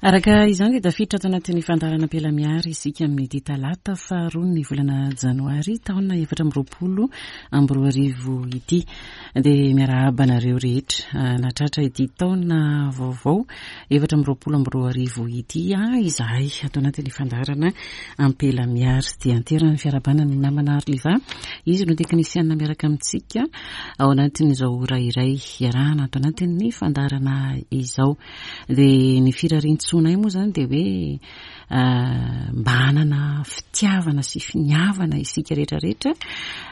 Araka izany dia tafiditra ato anatin'ny fandaharana Ampelamiary isika amin'ity talata faharoa ny volana janoary taona 2024 ity. Dia miarahaba anareo rehetra ah, natratra ity taona vaovao 2024 ity ah, izahay ato anatin'ny fandaharana Ampelamiary. Dia anteran'ny fiarahabana ny namana Arliva. Izy no teknisianina miaraka amintsika ao anatin'izao ora iray iarahana ato anatin'ny fandaharana izao. Dia ny firarian-tsoanay moa izany dia hoe mba hanana fitiavana sy finiavana isika rehetra rehetra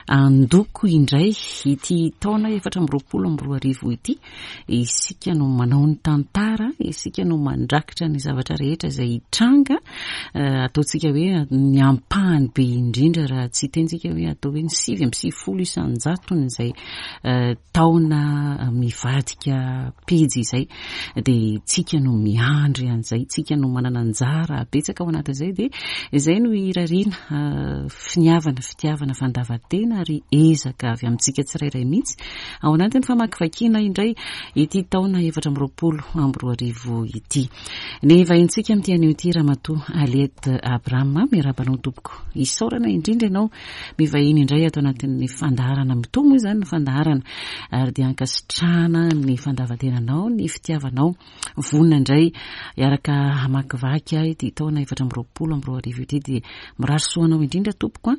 handoko indray ity taona 2024 ity. Isika no manao ny tantara, isika no mandrakitra ny zavatra rehetra izay hitranga. Ataontsika hoe ny ampahany be indrindra raha tsy hitentsika hoe atao hoe ny 99 isan-jatony izay taona mivadika pejy izay dia tsika no miandry an'izay, tsika no manana anjara betsaka ao anatin'izay dia izay no irariana finiavana, fitiavana, fandavan-tena ary ezaka avy amintsika tsirairay mihitsy ao anatin'ny famakivakiana indray ity taona 2024 ity. Ny vahintsika amin'ity anio ity Ramatoa Aliette Abraham, miarahaba anao tompoko. Isaorana indrindra ianao Mivahiny indray ato anatin'ny fandaharana. Mitohy moa izany ny fandaharana ary dia ankasitrahana ny fandavan-tenanao, ny fitiavanao. Vonona indray hiaraka hamakivaky ahy ity taona 2024 ity dia mirary soa anao indrindra tompoko a.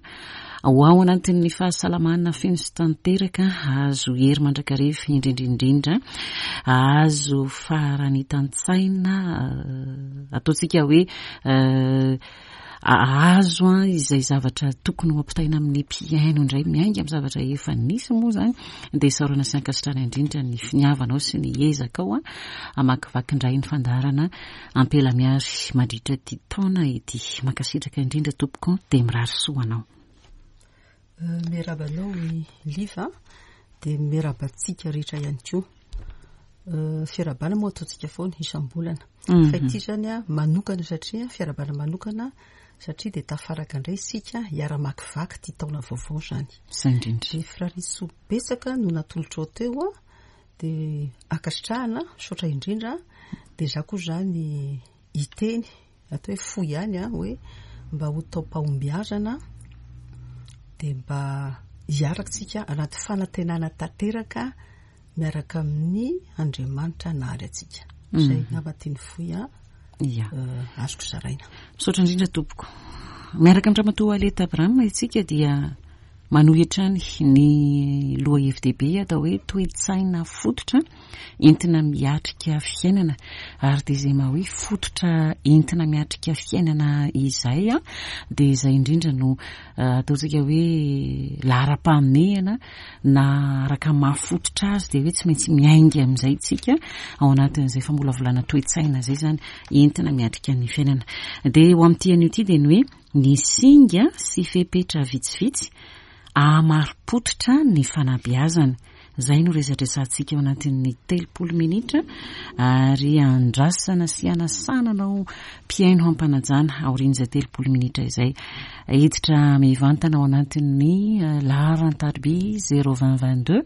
Ho ao anatin'ny fahasalamana feno sy tanteraka, hahazo hery mandrakariva indrindra indrindra, hahazo faharanitan-tsaina ataontsika hoe Ahazo izay zavatra tokony ho ampitaina amin'ny mpihaino indray miainga amin'ny zavatra efa nisy moa izany dia isaorana sy ankasitrahana indrindra ny finiavanao sy ny ezakao hamakivaky indray ny fandaharana Ampelamiary mandritra ity taona ity. Mankasitraka indrindra tompoko dia mirary soa anao. Miarahaba anao i Liva dia miarahaba antsika rehetra ihany koa. Fiarahabana moa ataontsika foana isam-bolana. Mhm. Fa ity izany a manokana satria fiarahabana manokana satria dia tafaraka indray isika hiara-makivaky ity taona vaovao izany. Izay indrindra. Dia firariantsoa betsaka no natolotrao teo a, dia ankasitrahana, misaotra indrindra. Dia izaho koa izany hiteny Atao hoe fohy ihany an, hoe mba ho taom-pahombiazana dia mba hiaraka isika anaty fanantenana tanteraka miaraka amin'ny Andriamanitra nahary antsika. Izay angamba teny fohy an, Ia. azoko zaraina. Misaotra indrindra tompoko. Miaraka amin-dRamatoa Aleta Abraham isika dia manohy hatrany ny lohahevi-dehibe atao hoe toe-tsaina fototra entina miatrika fiainana ary dia izay maha hoe fototra entina miatrika fiainana izay dia izay indrindra no eh, ataontsika hoe laharam-pahamehana na araka maha fototra azy dia hoe tsy maintsy miainga amin'izay tsika ao anatin'izay famolavolana toe-tsaina izay izany entina miatrika ny fiainana. Dia ho amin'ity anio ity dia ny hoe ny singa sy fepetra vitsivitsy ahamari-pototra ny fanabeazana. Izay no resadresantsika ao anatin'ny 30 minitra ary andrasana sy anasana anao mpihaino hampanajana aorian'izay 30 minitra izay. Hiditra mivantana ao anatin'ny eh, laharan-tariby 02022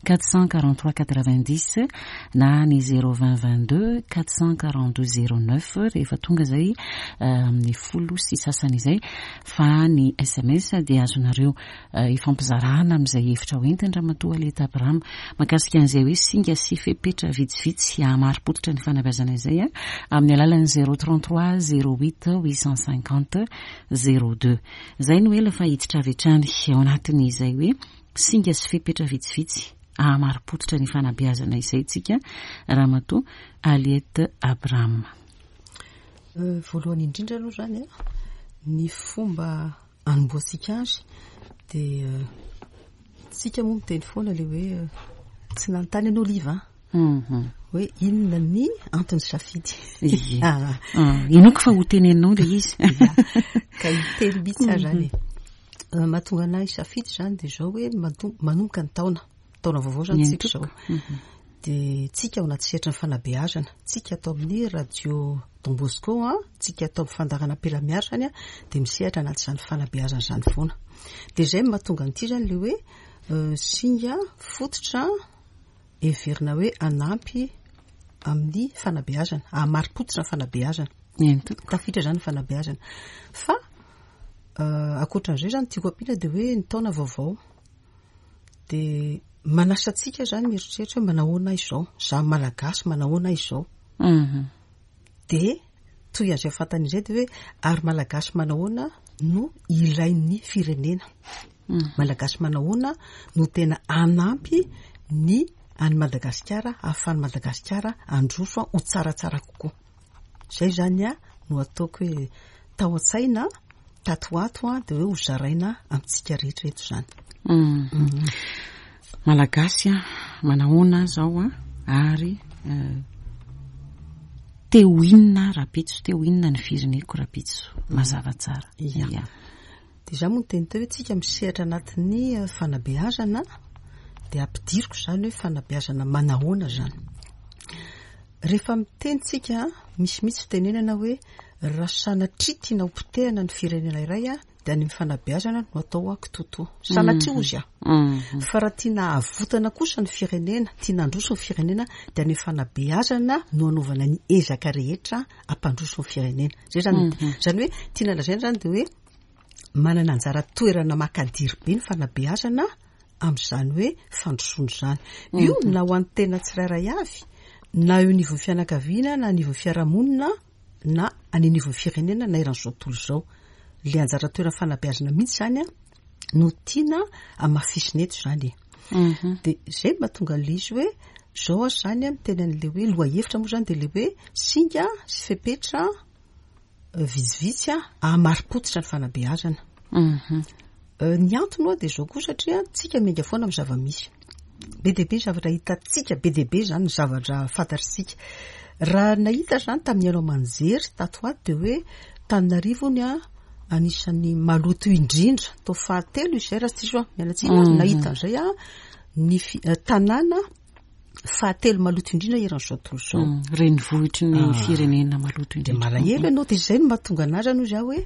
443 90 na ny 02022 442 09 rehefa tonga izay eh, amin'ny folo sy sasany izay fa ny sms dia azonareo eh, ifampizarana amin'izay hevitra ho entiny Ramatoa Aleta Abraham mahakasika an'izay hoe singa sy fepetra vitsivitsy hahamari-pototra ny fanabeazana izay eh, amin'ny alalan'ny 033 08 850 02. Izay no ela fa hiditra avy hatrany ao anatin'izay hoe singa sy fepetra vitsivitsy hahamari-pototra ny fanabeazana izay tsika Ramatoa Aliette Abraham. Eh, voalohany indrindra aloha izany ny fomba anombohantsika azy dia tsika moa miteny foana le hoe tsy nanontany anao Liva mhm. hoe inona ny antony safidy. Ah. Ah, inoako fa ho teneninao le izy. Ka hiteny mihitsy aho zany e. Mhm. Eh, mahatonga anahy safidy zany dia zao hoe manomboka ny taona. Taona vaovao zany tsika izao. Mhm. Dia tsika ao anaty sehatry ny fanabeazana, tsika ato amin'ny radio Don Bosco, tsika ato amin'ny fandaharana Ampelamiary zany dia misehatra anaty izany fanabeazana izany foana. Dia izay no mahatonga an'ity zany le hoe euh, singa fototra heverina hoe hanampy amin'ny fanabeazana, hahamari-pototra ny fanabeazana. Eny tompoko. Tafiditra izany ny fanabeazana. Fa ankoatran'izay izany tiako ampiana dia hoe ny taona vaovao dia manasa antsika izany mieritreritra hoe manahoana aho izao, izaho Malagasy manahoana aho izao. Dia toy an'izay fantany izay dia hoe ary Malagasy manahoana no ilain'ny firenena. Malagasy manahoana no tena hanampy ny an'i Madagasikara ahafahan'i Madagasikara handroso ho tsaratsara kokoa. Izay izany no ataoko hoe tao an-tsaina tato ho ato dia hoe ho zaraina amintsika rehetra eto izany. Malagasy manahoana zao ary te ho inona rahampitso, te ho inona ny fireneko rahampitso, mazava tsara. Ia. Dia izaho moa niteny teo hoe tsika misehatra anatin'ny fanabeazana dia ampidiriko izany hoe fanabeazana manahoana izany. Rehefa miteny tsika misy mihitsy fitenenana hoe raha sanatria tiana ho potehana ny firenena iray dia any amin'ny fanabeazana no atao kitoatoa. Sanatria hozy aho. Fa raha tiana havotana kosa ny firenena, tiana handroso ny firenena dia any amin'ny fanabeazana no anaovana ny ezaka rehetra hampandroso ny firenena. Zay zany, zany hoe tiana lazaina zany dia hoe manana anjara toerana makadiry be ny fanabeazana amin'izany hoe fandrosoana izany. Io na ho an'ny tena tsirairay avy, na eo anivon'ny fianakaviana, na anivon'ny fiarahamonina, na any anivon'ny firenena, na eran'izao tontolo izao. Ilay anjara toeran'ny fanabeazana mihitsy izany no tiana hamafisina eto izany e. Dia izay no mahatonga an'ilay izy hoe izao aho izany miteny an'ilay hoe lohahevitra moa izany dia ilay hoe singa sy fepetra vitsivitsy hahamari-pototra ny fanabeazana. Ny antony hoa dia izao koa satria tsika miainga foana amin'ny zava-misy. Be dia be ny zavatra hitantsika, be dia be izany ny zavatra fantatritsika. Raha nahita izany tamin'ny haino aman-jery tato ho ato dia hoe Tananarivo hono anisan'ny maloto indrindra, tao fahatelo izay raha tsy diso aho, miala tsiny aho, nahita an'izay aho, ny tanàna fahatelo maloto indrindra eran'izao tontolo izao. Renivohitry ny firenena maloto indrindra. Dia malahelo ianao, dia izay no mahatonga anazy zany hoy zaho hoe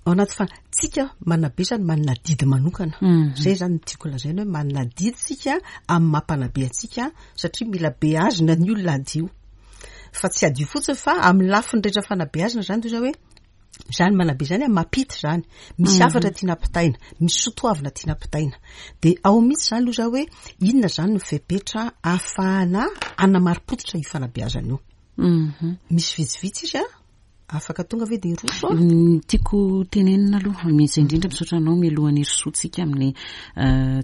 ao anaty fa tsika manabe zany manana adidy manokana. Izay zany no tiako lazaina hoe manana adidy tsika amin'ny maha mpanabe antsika satria mila beazina ny olona hadio. Fa tsy hadio fotsiny fa amin'ny lafiny rehetra fanabeazana zany toy izao hoe Izany manabe izany an, mampita izany. Misy hafatra tiana ampitaina, misy soatoavina tiana ampitaina. Dia ao mihitsy izany aloha izaho hoe inona izany no fepetra ahafahana hanamari-pototra io fanabeazana io. Misy vitsivitsy izy an, afaka tonga ve dia hiroso an? Ny tiako tenenina aloha, mihitsy indrindra misaotra anao mialohan'ny hirosoantsika amin'ny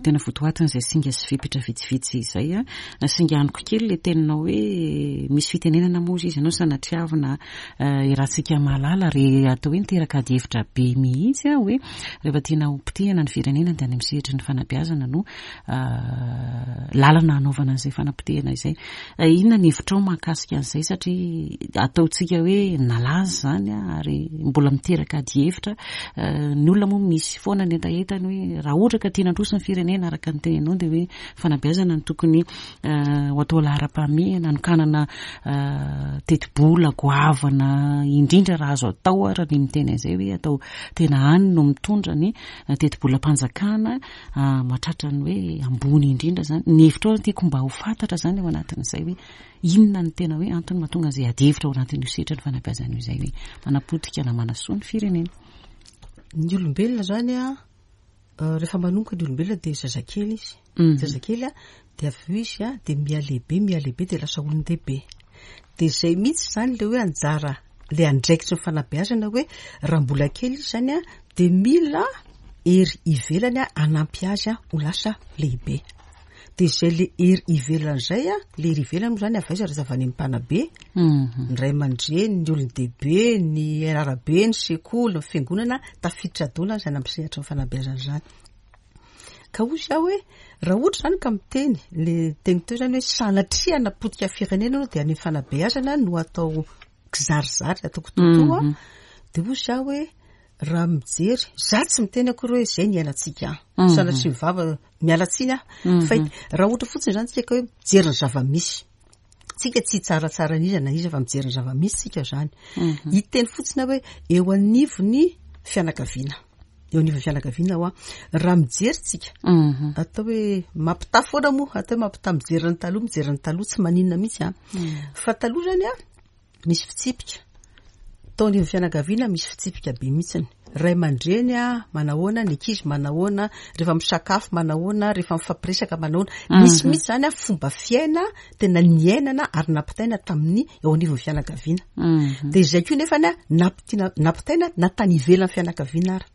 tena votoatin'izay singa sy fepetra vitsivitsy izay an. Singaniko kely ilay teninao hoe misy fitenenana moa izy ianao sanatriavina Iarahantsika mahalala ary atao hoe niteraka adihevitra be mihitsy hoe rehefa tiana ho potehina ny firenena dia any amin'ny sehatry ny fanabeazana no lalana hanaovana an'izay fanapotehana izay. Inona ny hevitrao mahakasika an'izay satria ataontsika hoe nalaza izany ary mbola miteraka adihevitra. Ny olona moa misy foana ny hetahetany hoe raha ohatra ka tiana handroso ny firenena araka ny teninao dia hoe fanabeazana no tokony ho atao laharam-pahamehana, hanokanana tetibola goavana indrindra raha azo atao ary ny miteny an'izay hoe atao tena any no mitondra ny tetibolam-panjakana mahatratra ny hoe ambony indrindra izany. Ny hevitrao tiako mba ho fantatra izany ao anatin'izay hoe inona no tena hoe antony mahatonga an'izay adihevitra ao anatin'io sehatry ny fanabeazana io izay hoe manapotika na manasoa ny firenena. Ny olombelona izany an, Rehefa manomboka ny olombelona dia zazakely izy. Zazakely a, dia avy eo izy a, dia mihalehibe, mihalehibe dia lasa olon-dehibe. Dia izay mihitsy izany ilay hoe anjara, ilay andraikitry ny fanabeazana hoe raha mbola kely izy izany a, dia mila hery ivelany hanampy azy ho lasa lehibe. Dia izay ilay hery ivelany izay a, ilay hery ivelany moa izany avy aiza raha tsy avy any amin'ny mpanabe, ny ray aman-dreny, ny olon-dehibe, ny arabe, ny sekoly, ny fiangonana, tafiditra daholo izany amin'ny sehatry ny fanabeazana izany. Ka hoy izaho hoe raha ohatra izany ka miteny le teny teo izany hoe sanatria hanapotika firenena aloha dia any amin'ny fanabeazana no atao kizarizary, atao kitoatoa, dia hoy izaho hoe raha mijery, za tsy miteny akory hoe izay ny iainantsika, sanatria ny vava, miala tsiny aho, fa raha ohatra fotsiny izany tsika hoe mijery ny zava-misy, tsika tsy hitsaratsara an'iza na iza fa mijery ny zava-misy tsika izany. Hiteny fotsiny aho hoe eo anivon'ny fianakaviana. Eo anivon'ny fianakaviana hoa. Raha mijery tsika, mhm. atao hoe mampitaha foana moa, atao hoe mampitaha mijery ny taloha, mijery ny taloha tsy maninona mihitsy an. Mm. Fa taloha zany an, misy fitsipika. Tao anivon'ny fianakaviana misy fitsipika be mihitsiny. Ray aman-dreny a, manahoana, ny ankizy manahoana, rehefa misakafo manahoana, rehefa mifampiresaka manahoana. Mhm. Misy mihitsy zany a fomba fiaina tena niainana ary nampitaina tamin'ny eo anivon'ny fianakaviana. Mhm. Dia izay koa nefany a nampitiana nampitaina na tany ivelan'ny fianakaviana ara.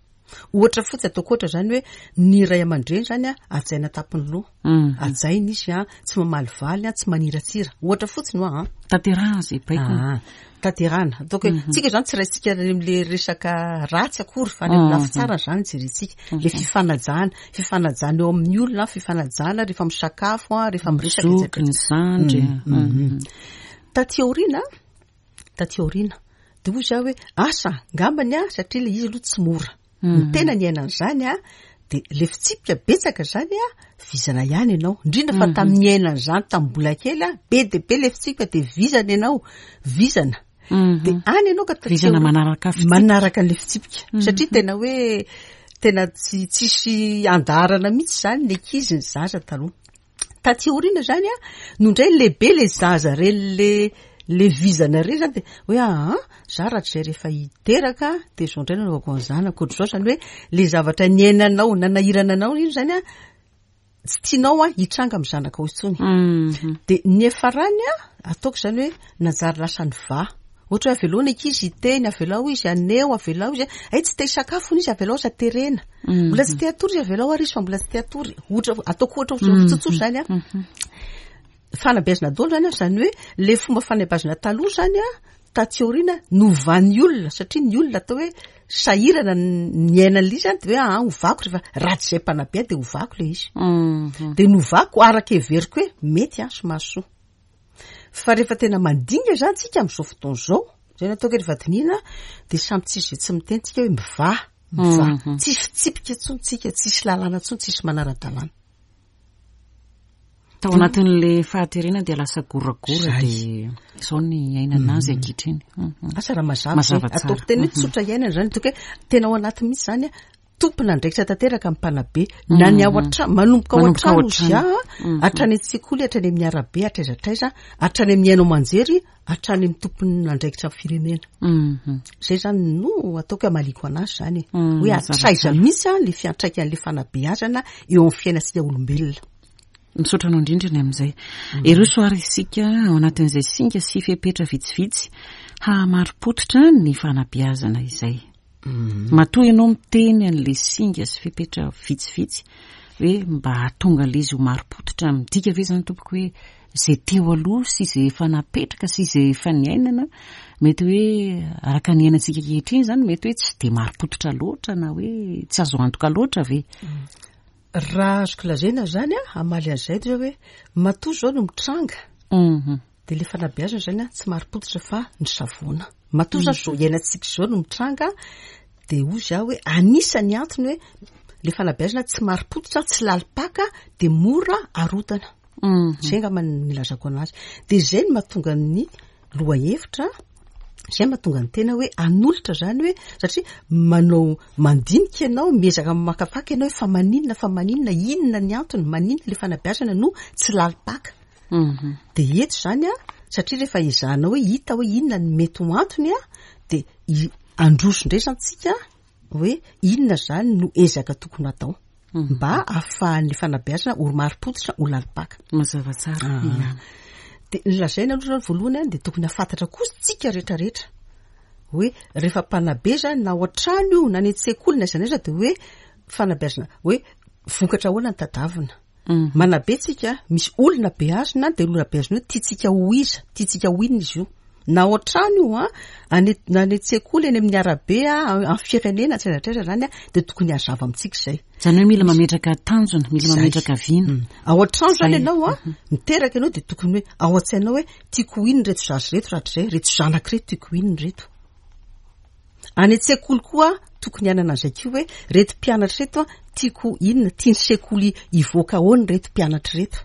Ohatra fotsiny ataoko ohatra zany hoe ny ray aman-dreny zany a hajaina an-tampon'ny loha. Mhm. Hajaina izy a, tsy mamalivaly a, tsy maniratsira. Ohatra fotsiny hoa an. Tanterahana izay baikony. Ah, tanterahana. Ataoko hoe mhm. tsika zany tsy raisitsika am'le resaka ratsy akory fa any amin'ny lafy mhm. tsara zany jerentsika. Le fifanajana, fifanajana eo amin'ny olona, fifanajana rehefa misakafo a, rehefa miresaka Zoky, ny zandry. Taty aoriana, taty aoriana de hoy za hoe asa ngambany a satria le izy aloha tsy mora ny mhm. tena niaina an'izany a de le fitsipika betsaka zany a vizana ihany ianao indrindra fa mhm. tamin'ny niaina an'izany tamin'ny mbola kely a be de be le fitsipika de vizana ianao vizana mhm. de any ianao ka vizana manaraka manaraka an'le fitsipika satria tena hoe tena tsy tsisy andaharana mihitsy zany ny ankizy ny zaza taloha Taty aoriana zany a, no indray lehibe le zaza reny le le vizana reny zany de hoe aa za rahatrizay rehefa hiteraka de zao indray no anaovako ny zanako ohatr'izao zany hoe le zavatra niainanao nanahirana anao iny zany a tsy tianao a hitranga amin'ny zanakao intsony. Mhm. De niafarany a ataoko zany hoe nanjary lasa nivaha. Ohatra hoe avelao ny ankizy hiteny, avelao izy haneho, avelao izy, hay tsy te hisakafo hono izy avelao aza terena. Mhm. Mbola tsy te hatory izy avelao ary izy fa mbola tsy te hatory. Ohatra ataoko ohatra mhm. tsotsotra zany a. Mhm. Fanabeazana daholo zany a, zany hoe le fomba fanabeazana taloha zany a, taty aoriana novan'ny olona satria ny olona atao hoe sahirana niaina an'ilay izy zany de hoe aa ah, ovako rehefa raha tsy izay mpanabe ahy de ovako le izy. De novako araka heveriko hoe mety a sy mahasoa. Fa rehefa tena mandinika zany tsika amin'izao fotoana izao, zay no ataoko hoe rehefa dinihina dia samy tsisy izay tsy miteny tsika hoe mivaha, mivaha. Mhm. Tsisy fitsipika intsony tsika, tsisy lalàna intsony, tsisy manara-dalàna. Tao anatin'le fahaterena dia lasa goragora dia izao ny iainana azy mhm. ankehitriny. Mhm. Asa raha mazava zay. Ataoko tena hoe mhm. tsotra iainana zany, ataoko hoe tena ao anaty mihitsy zany Tompon'andraikitra tanteraka ny mpanabe na ny ao an-trano, manomboka ao an-trano izy a, mhm. hatrany an-tsekoly, hatrany amin'ny arabe, hatraiza hatraiza, hatrany amin'ny haino aman-jery, hatrany amin'ny tompon'andraikitra amin'ny firenena. Mhm. Izay zany no ataoko hoe hamaliako anazy zany e. Mhm, hoe hatraiza mihitsy a le fiantraikan'le fanabeazana eo amin'ny fiainantsika olombelona. Misaotra anao indrindra ny amin'izay. Eroso ary isika ao anatin'izay singa sy fepetra vitsivitsy hahamari-pototra ny fanabeazana izay. Matoa ianao miteny an'ilay singa sy fepetra vitsivitsy hoe mba hahatonga an'ilay izy ho marim-pototra, midika ve izany tompoko hoe izay teo aloha sy izay efa napetraka sy izay efa niainana, mety hoe araka ny iainantsika ankehitriny izany mety hoe tsy dia marim-pototra loatra na hoe tsy azo antoka loatra ve? Raha azoko lazaina izany an, hamaly an'izay dia hoe matoa izao no mitranga, Dia ilay fanabeazana izany tsy marim-pototra fa ny savoana. Matoa izany izao iainantsika izao no mitranga dia hoy izaho hoe anisan'ny antony hoe ilay fanabeazana tsy marim-pototra, tsy lalim-paka dia mora arodana. Mhm. Izay angamba no nilazako anazy. Dia izay no mahatonga ny lohahevitra, izay mahatonga ny tena hoe hanolotra izany hoe satria manao mandinika ianao, miezaka mamakafaka ianao hoe fa maninona, fa maninona, inona ny antony, maninona ilay fanabeazana no tsy lalim-paka. Mhm. Dia eto izany an, satria rehefa ezahanao hoe hita hoe inona no mety ho antony an, dia handroso indray izany tsika hoe inona izany no ezaka tokony hatao mhm. mba ahafahan'ny fanabeazana ho marim-pototra ho lalim-paka. Mazava tsara. Ah. Ia. Dia ny lazaina aloha izany voalohany an, dia tokony hahafantatra koa tsika rehetrarehetra hoe rehefa mpanabe izany na ao an-trano io na any an-tsekoly na aiza na aiza dia hoe fanabeazana hoe vokatra ahoana ny tadavina. Mhm. Manabe tsika, misy olona beazina, dia olona beazina io tiantsika ho iza, tiantsika ho inona izy io. Na ao an-trano io an, any na any an-tsekoly, any amin'ny arabe an, amin'ny firenena, hatraiza hatraiza izany an, dia tokony hazava amintsika izay. Izany hoe mila mametraka tanjona, mila Izay. mametraka vina. Mm. Ao an-trano izany Izay. ianao an, Mhm. miteraka ianao dia tokony hoe ao an-tsainao hoe tiako ho inona ireto zaza ireto rahatrizay, ireto zanako ireto tiako ho inona ireto. Any an-tsekoly koa tokony hanana an'izay koa hoe reto mpianatra reto an, tiako inona, tian'ny sekoly hivoaka ahoana ireto mpianatra ireto.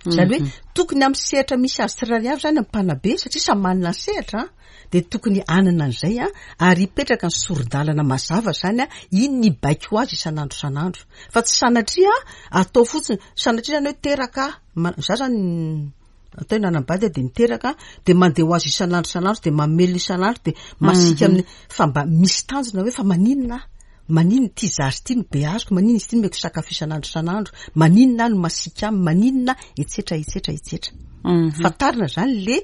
Izany hoe tokony amin'ny sehatra misy azy tsirairay avy izany ny mpanabe satria samy manana ny sehatra an, dia tokony hanana an'izay an, ary hipetraka ny sori-dalana mazava izany an, iny ny hibaiko azy isan'andro isan'andro. Fa tsy sanatria atao fotsiny, sanatria izany hoe teraka, za izany atao hoe nanambady aho dia niteraka dia mandeha ho azy isan'andro isan'andro dia mamelona isan'andro dia masiaka amin'ny fa mba misy tanjona hoe fa maninona aho? Maninona ity zaza ity no beaziko, maninona izy ity no omeko sakafo isan'andro isan'andro, maninona aho no masiaka aminy, maninona etsetra etsetra etsetra. Fantarina izany le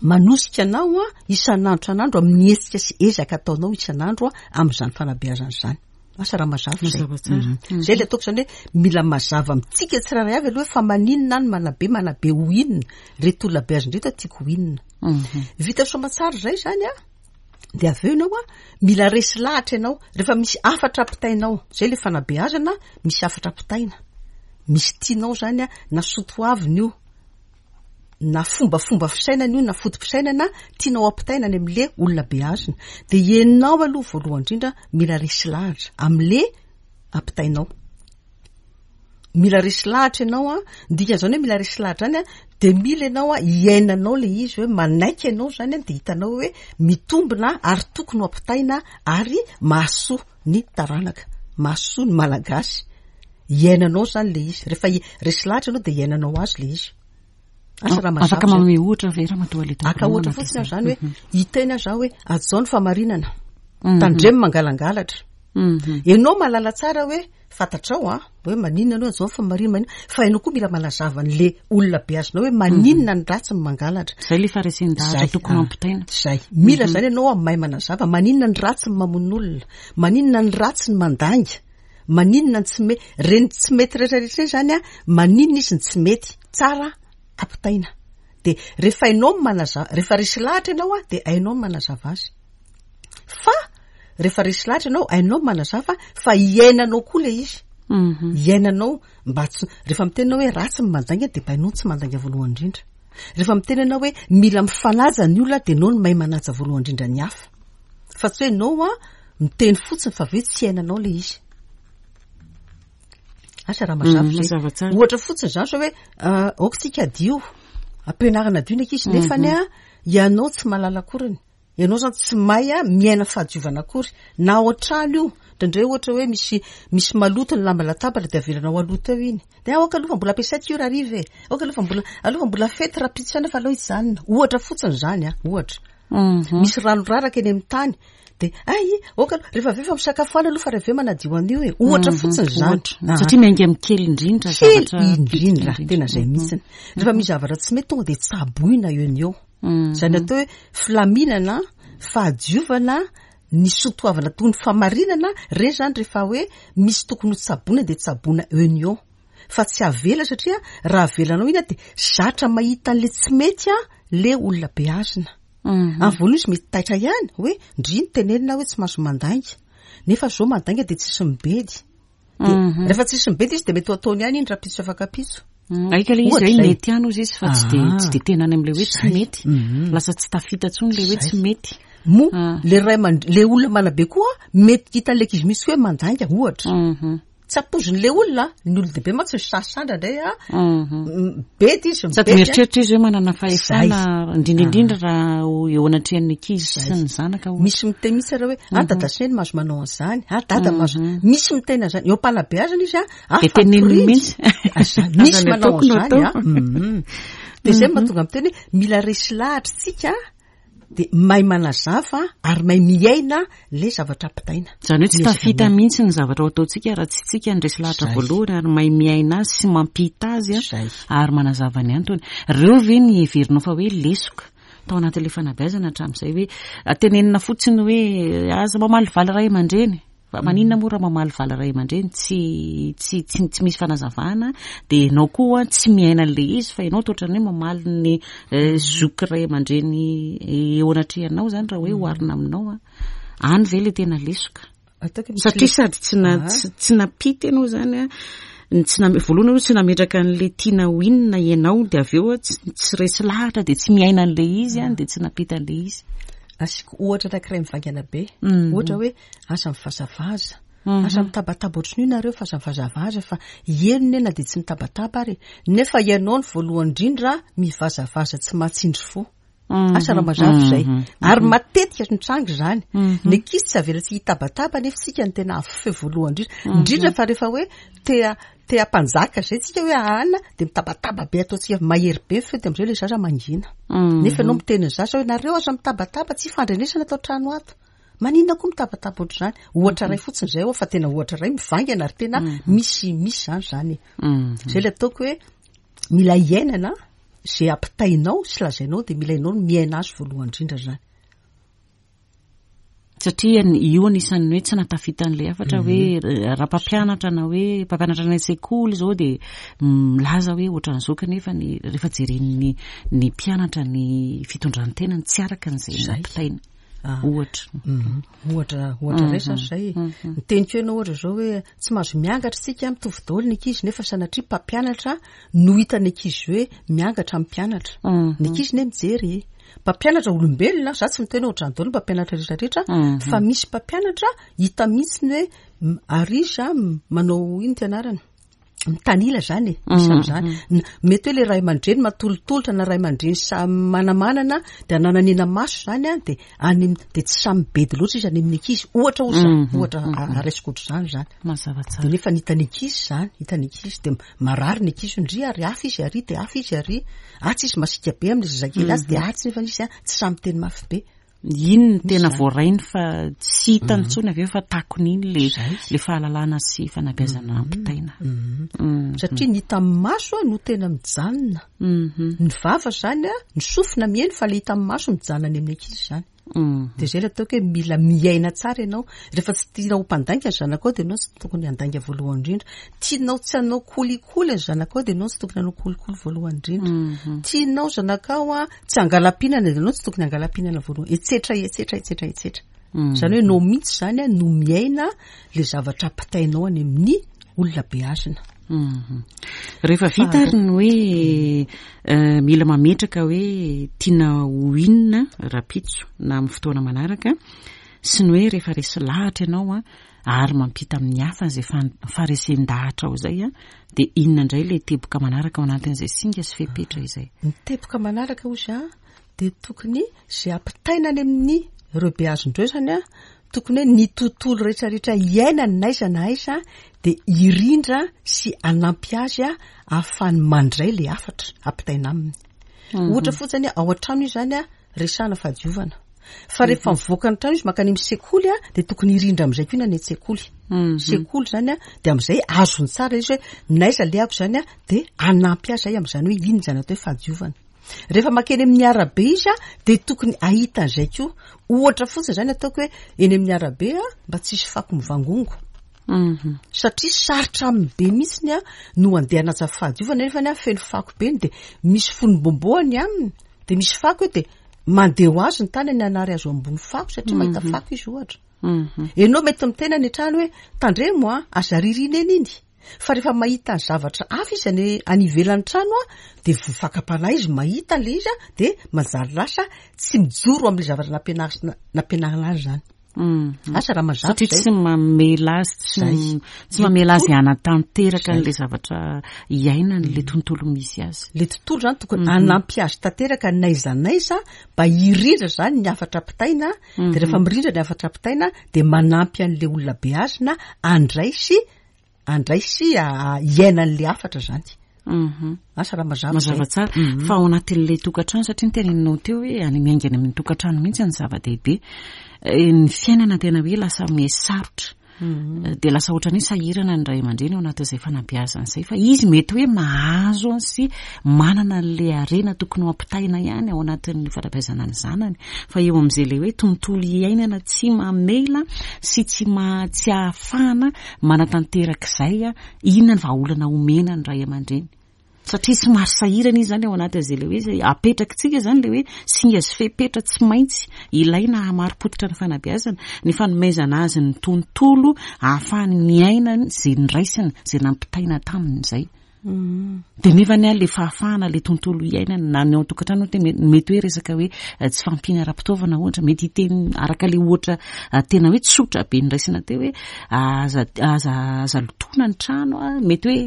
manosika anao isan'andro isan'andro amin'ny hetsika sy ezaka ataonao isan'andro amin'izany fanabeazana izany. Asa raha mazava izay. Mazava tsara. Izay ilay ataoko izany hoe mila mazava amintsika tsirairay avy aloha hoe fa maninona aho no manabe, manabe ho inona, ireto olona beazina ireto tiako ho inona. Vita soamantsara izay izany an, dia avy eo ianao an, mila resy lahatra ianao, rehefa misy hafatra ampitainao, izay ilay fanabeazana, misy hafatra ampitaina, misy tianao izany an, na soatoavina io, na fombafomba fisainana io na foto-pisainana tianao ampitaina any amin'le olona beazina, dia ianao aloha voalohany indrindra mila resy lahatra amin'le ampitainao. Mila resy lahatra ianao an, ny dikan'izany hoe mila resy lahatra izany an, dia mila ianao an iainanao le izy hoe manaiky ianao izany an, dia hitanao hoe mitombina ary tokony ho ampitaina ary mahasoa ny taranaka, mahasoa ny Malagasy. Iainanao izany le izy. Rehefa resy lahatra ianao dia iainanao azy le izy. Asa raha mazava. Afaka manome ohatra ve Ramatoa Aleta? Aka ohatra fotsiny aho izany hoe hiteny aho zaho hoe hajao ny famarinana. Tandremo mangalangalatra. Ianao mahalala tsara hoe fantatrao an, hoe maninona ianao hajao ny famarinana, maninona, fa ianao koa mila manazava an'le olona beazinao hoe maninona ny ratsy ny mangalatra. Zay le faharesen-dahatra tokony hampitaina. Zay. Mila zany ianao mahay manazava maninona ny ratsy ny mamono olona, maninona ny ratsy ny mandainga. Maninona ny tsy mety, reny tsy mety rehetra rehetra ireny zany an, maninona izy no tsy mety, tsara ampitaina. De rehefa hainao ny manazava, rehefa resy lahatra ianao an, de hainao ny manazava azy. Fa rehefa resy lahatra ianao, hainao ny manazava fa iainanao koa le izy. Iainanao mba tsy, rehefa miteny ianao hoe ratsy ny mandainga de mba hainao ny tsy mandainga voalohany indrindra. Rehefa miteny ianao hoe mila mifanaja ny olona de ianao no mahay manaja voalohany indrindra ny hafa. Fa tsy hoe ianao an, Miteny fotsiny fa avy eo tsy iainanao ilay izy. Asa raha mazava izay. Mazava tsara. Ohatra fotsiny izany sao hoe aoka isika hadio. Ampianarana hadio ny ankizy nefany an, ianao tsy mahalala akoriny. Ianao izany tsy mahay an, miaina fahadiovana akory. Na ao an-trano io, indraindray ohatra hoe misy misy maloto ny lamba latabatra dia avelanao haloto eo iny. Dia aoka aloha fa mbola ampiasaiko io rahariva e. Aoka aloha fa mbola, aloha fa mbola fety rahampitso ihany fa aleo hijanona. Ohatra fotsiny izany an, ohatra. Misy rano raraka eny amin'ny tany. Dia ay, ok aloha, rehefa avy eo efa misakafo any aloha fa rehefa avy eo manadio an'io e. Ohatra fotsiny izany. Ohatra. Satria miainga amin'ny kely indrindra Kely zavatra indrindra, indrindra. tena izay mihitsiny. Rehefa misy zavatra tsy mety tonga dia tsaboina eo no eo. Izany atao hoe filaminana, fahadiovana, ny soatoavina toy ny famarinana, ireny izany rehefa hoe misy tokony ho tsaboina dia tsaboina eo no eo. Fa tsy avela satria raha avelanao iny dia zatra mahita an'ilay tsy mety ilay olona beazina. Amin'ny voalohany izy mety taitra ihany hoe ndry ny tenenina hoe tsy mahazo mandainga. Nefa zao mandainga dia tsisy mibedy. Dia rehefa tsisy mibedy izy dia mety ho ataony ihany iny rahampitso sy afak'ampitso. Aika ilay izy Ohatra hoe izay. mety ihany hozy izy fa tsy dia, tsy dia tena any amin'ilay hoe tsy Zay. mety. Lasa tsy tafita intsony ilay hoe tsy mety. Moa le ray aman-, le olona manabe koa mety hitan'ilay ankizy mihitsy hoe mandainga ohatra. Tsy ampoizin'ilay olona, ny olon-dehibe mantsy misasa indraindray a, mibedy izy, Sady mibedy a. mieritreritra izy hoe manana fahefana, Zay. indrindra indrindra raha eo anatrehan'ny ankizy sy ny zanaka ohatra. Misy miteny mihitsy ary hoe, ah dada sy neny mahazo manao an'izany, ah dada mahazo, misy miteny an'izany, eo am-panabeazana izy a, ah Dia teneniny fatoriana. mihitsy. Aza, misy Aza ny manao ataoko no an'izany a. atao. Dia izay no mahatonga miteny hoe mila resy lahatra isika dia mahay manazava ary mahay miaina ilay zavatra ampitaina. Izany hoe tsy Miezaka tafita miaina. mihitsy ny zavatra ho ataontsika raha tsy tsika ny resy lahatra Zay. voalohany ary mahay miaina azy sy mampita azy a, Zay. ary manazava ny antony. Ireo ve ny heverinao fa hoe lesoka tao anatin'ilay fanabeazana hatramin'izay hoe tenenina fotsiny hoe aza mamalivaly ray aman-dreny? Fa maninona moa raha mamaly vala ray aman-dreny tsy tsy tsy tsy misy fanazavana dia ianao koa tsy miaina an'ilay izy fa ianao toa ohatran'ny hoe mamaly ny zoky ray aman-dreny eo anatrehanao izany raha hoe oharina aminao a. Any ve ilay tena lesoka? Ataoko misy Satria lesoka. sady tsy na tsy tsy nampita ianao izany a, ny tsy name-, voalohany aloha tsy nametraka an'ilay tiana ho inona ianao dia avy eo tsy tsy resy lahatra dia tsy miaina an'ilay izy a, dia tsy nampita an'ilay izy. Asiako ohatra anankiray mivaingana be. Ohatra hoe aza mivazavaza. Aza mitabataba ohatran'io nareo fa aza mivazavaza fa heno ne na dia tsy mitabataba ary e. Nefa ianao no voalohany indrindra mivazavaza tsy mahatsindry fo. Asa raha mazava izay. Ary matetika mitranga izany. Ny ankizy tsy avela tsy hitabataba nefa isika no tena avo feo voalohany indrindra. Indrindra fa rehefa hoe te te hampanjaka izay tsika hoe ahana dia mitabataba be ataontsika mahery be ny feo dia amin'izay ilay zaza mangina. Nefa ianao miteny ny zaza hoe nareo aza mitabataba tsy ifandrenesana ato an-trano ato. Maninona koa mitabataba ohatr'izany? Ohatra iray fotsiny izay fa tena ohatra iray mivaingana ary tena misy misy izany izany e. Izay ilay ataoko hoe mila iainana izay ampitainao sy lazainao dia mila ianao no miaina azy voalohany indrindra izany. Satria io anisan'ny hoe tsy nahatafita an'ilay hafatra hoe raha mpampianatra na hoe mpampianatra any an-tsekoly izao dia milaza hoe ohatran'izao kanefa ny rehefa jeren'ny ny mpianatra ny fitondran-tenany tsy araka an'izay nampitaina. Ah. Ohatra. Mhm. Ohatra, ohatra iray zany izay. Ny teniko ianao ohatra izao hoe tsy mahazo miangatra isika mitovy daholo ny ankizy nefa sanatria mpampianatra no hitan'ny ankizy hoe miangatra amin'ny mpianatra. Ny ankizy ne mijery e. Mpampianatra olombelona, za tsy miteny hoe ohatrany daholo ny mpampianatra rehetra rehetra, fa misy mpampianatra hita mihitsy ny hoe ary izy manao ino ty anarany? mitanila zany e, misy am'zany. Mety hoe le ray aman-dreny matolotolotra na ray aman-dreny samy manamanana de anananena maso zany an, de any am-, de tsy samy bedy loatra izy any amin'ny ankizy, ohatra hoy za, ohatra raisiko ohatr'izany zany. Mazava tsara. De nefa ny hitan'ny ankizy zany, hitan'ny ankizy de marary ny ankizy hoe ndry ary hafa izy ary de hafa izy ary, atsy izy masiaka be amin'ilay zazakely atsy de atsy nefa izy an tsy samy miteny mafy be. Iny no tena voarainy fa tsy hitany intsony avy eo fa takony iny le le fahalalana sy fanabeazana ampitaina. Satria ny hita amin'ny maso no tena mijanona. Ny vava zany, ny sofina mihaino fa le hita amin'ny maso mijanona any amin'ny ankizy zany. Dia izay ilay ataoko hoe mila miaina tsara ianao. Rehefa tsy tianao ho mpandainga ny zanakao dia ianao tsy tokony handainga voalohany indrindra. Tianao tsy hanao kolikoly ny zanakao dia ianao tsy tokony hanao kolikoly voalohany indrindra. Tianao zanakao a tsy hangalam-pihinana dia ianao tsy tokony hangalam-pihinana voalohany. Etsetra, etsetra, etsetra, etsetra. Izany hoe ianao mihitsy izany a no miaina ilay zavatra ampitainao any amin'ny olona beazina. Rehefa vita ary ny hoe eh, mila mametraka hoe tiana ho inona rahampitso na amin'ny fotoana manaraka sy ny hoe rehefa resy lahatra ianao a ary mampita amin'ny hafa izay faharesen-dahatra ao izay a dia inona indray ilay teboka manaraka ao anatin'izay singa sy fepetra izay? Ny teboka manaraka hozy a dia tokony izay ampitaina any amin'ny ireo beazin-dreo izany a, tokony hoe ny tontolo rehetrarehetra iainany na aiza na aiza dia hirindra sy hanampy azy a ahafahany mandray ilay hafatra ampitaina aminy. Ohatra fotsiny ao an-trano izy izany a, resahana fahadiovana. Fa rehefa mivoaka ny trano izy mankany amin'ny sekoly a, dia tokony hirindra amin'izay koa ny any an-tsekoly. Sekoly izany a, dia amin'izay azony tsara izy hoe n'aiza alehako izany a, dia hanampy azy izay amin'izany hoe inona izany atao hoe fahadiovana. Rehefa mankeny amin'ny arabe izy a, dia tokony hahita an'izay koa. Ohatra fotsiny izany ataoko hoe eny amin'ny arabe a, mba tsy hisy fako mivangongo. Satria sarotra aminy be mihitsy a no handeha hanaja fahadiovana nefa ny feno fako be ny dia misy fonom-bombo any aminy, dia misy fako eo dia mandeha ho azy ny tanany hanary azy eo ambony fako satria mahita fako izy ohatra. Ianao mety miteny any an-trano hoe tandremo a, aza aririna eny iny. Fa rehefa mahita ny zavatra hafa izy any any ivelan'ny trano a, dia voa fakam-panahy izy mahita ilay izy a, dia manjary lasa tsy mijoro amin'ilay zavatra nampianarina nampianarina azy izany. Asa raha mazava Satria izay. tsy mamela azy, tsy Izay. tsy mamela azy hanatanteraka an'ilay zavatra iainany, ilay tontolo misy azy. Ilay tontolo izany tokony hanampy azy tanteraka n'aiza n'aiza mba hirindra izany ny hafatra ampitaina, dia rehefa mirindra ny hafatra ampitaina dia manampy an'ilay olona beazina handray sy handray sy hiaina an'ilay hafatra izany. Asa raha mazava Mazava izay. tsara. Fa ao anatin'ilay tokantrano, satria noteneninao teo hoe any miainga any amin'ny tokantrano mihitsy ny zava-dehibe. Ny fiainana tena hoe lasa miha-sarotra. Dia lasa ohatran'ny hoe sahirana ny ray aman-dreny ao anatin'izay fanabeazana izay. Fa izy mety hoe mahazo sy manana an'ilay harena tokony ho ampitaina ihany ao anatin'ny fanabeazana ny zanany. Fa eo amin'izay ilay hoe tontolo iainana tsy mamela sy tsy tsy ahafahana manatanteraka izay, inona ny vahaolana omena ny ray aman-dreny? Satria somary sahirana izy izany ao anatin'izay ilay hoe izay apetrakitsika izany ilay hoe singa sy fepetra tsy maintsy ilaina hahamari-pototra ny fanabeazana, ny fanomezana azy ny tontolo ahafahany miaina izay noraisiny, izay nampitaina taminy izay. Dia nefa anie ilay fahafahana, ilay tontolo iainana na ny ao an-tokantrano ohatra mety hoe resaka hoe tsy fahampiana ara-pitaovana ohatra, mety hiteny araka ilay ohatra tena hoe tsotra be noraisina teo hoe aza aza aza lotoina ny trano a, mety hoe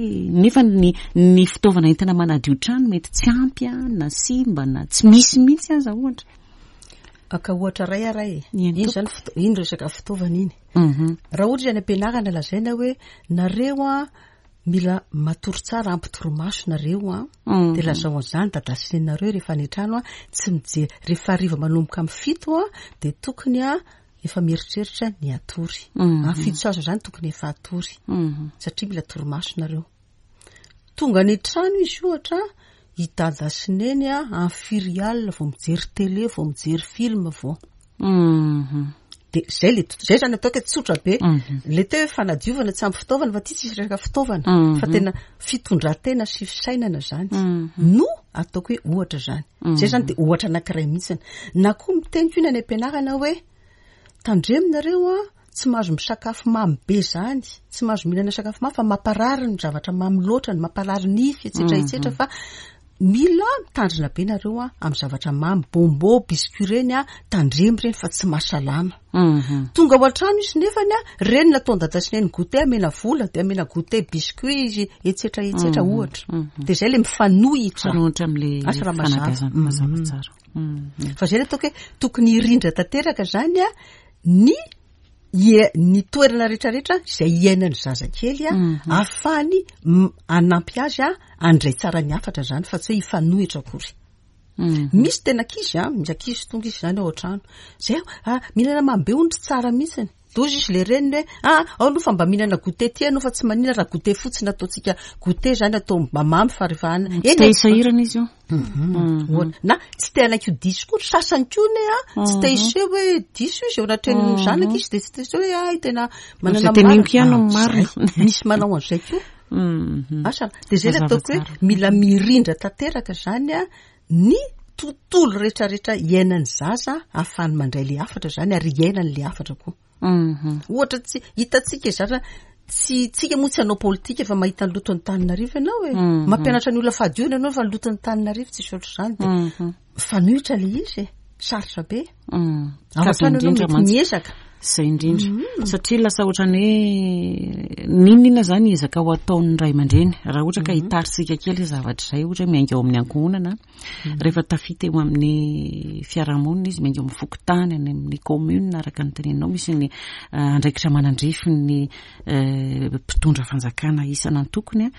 nefa ny ny fitaovana entina manadio trano mety tsy ampy a, na simba na tsy misy mihitsy aza ohatra. Aka ohatra iray ara e. Iny zany iny resaka fitaovana iny. Raha ohatra izy any am-pianarana lazaina hoe nareo a Mila matory tsara ampy torimaso nareo an. Dia lazao an'izany dada sy neninareo rehefa any an-trano an, tsy mijery rehefa hariva manomboka amin'ny fito an, dia tokony an efa mieritreritra ny hatory. Amin'ny fito sy azo izany tokony efa hatory. Satria mila torimaso nareo. Tonga any an-trano izy ohatra, i dada sy neny an, amin'ny firy alina vao mijery télé, vao mijery film vao. Dia zay le, zay zany ataoko hoe tsotra be. Le teo hoe fanadiovana tsy ampy fitaovana fa ty tsisy resaka fitaovana fa tena fitondran-tena sy fisainana zany no ataoko hoe ohatra zany. Zay zany dia ohatra anankiray mihitsiny. Na koa miteny koa ny any am-pianarana hoe tandremo nareo an, tsy mahazo misakafo mamy be zany, tsy mahazo mihinana sakafo mamy fa mamparary ny zavatra mamy loatra, ny mamparary nify, etsetra etsetra fa Mila mitandrina be nareo a amin'ny zavatra mamy, bonbon, biscuit reny a, tandremo reny fa tsy mahasalama. Tonga ao an-trano izy nefany a, reny nataon'i dada sy neny goûter amena vola de amena goûter biscuit izy etsetra etsetra ohatra. De zay le mifanohitra. Mifanohitra amin'le Asa raha mazava. fanabeazana, mazava tsara. Fa zay le ataoko hoe tokony hirindra tanteraka zany a ny Ie, ny toerana rehetrarehetra izay iainan'ny zazakely a, ahafahany hanampy azy a, handray tsara ny hafatra izany fa tsy hoe hifanohitra akory. Misy tena ankizy a, misy ankizy tonga izy izany ao an-trano, zay ah, mihinana mamy be hono tsy tsara mihitsiny. De hozy izy le reniny hoe ah, ao aloha fa mba mihinana goûter ty ianao fa tsy maninona raha goûter fotsiny ataontsika goûter izany atao mba mamy fa rehefa any. Tsy te hisahirana izy io. Ohatra, na tsy te hanaiky ho diso koa, sasany koa anie a, tsy te hiseho hoe diso izy eo anatrehan'ny zanaka izy dia tsy te hiseho hoe hay tena manana Izay teneniko ihany no marina. Zay, misy manao an'izay koa. Asa, dia izay ilay ataoko hoe mila mirindra tanteraka izany a, ny tontolo rehetrarehetra iainan'ny zaza ahafahany mandray ilay hafatra izany ary iainany ilay hafatra koa. Ohatra tsy hitantsika zatra tsy tsika moa tsy hanao politika fa mahita ny loton'ny Antananarivo ianao e. Mampianatra ny olona fahadiovana ianao fa ny loton'ny Antananarivo tsisy ohatr'izany dia mifanohitra ilay izy e. Sarotra be. Ao an-trano ianao mety miezaka. Izay indrindra. Satria lasa ohatran'ny hoe n'inon'inona izany ezaka ho ataon'ny ray aman-dreny. Raha ohatra ka hitaritsika kely izay zavatra izay, ohatra hoe miainga ao amin'ny ankohonana, Rehefa tafita eo amin'ny fiarahamonina izy, miainga eo amin'ny fokontany, any amin'ny commune, araka ny teneninao, misy ny andraikitra manandrify ny mpitondra fanjakana isan'antokony.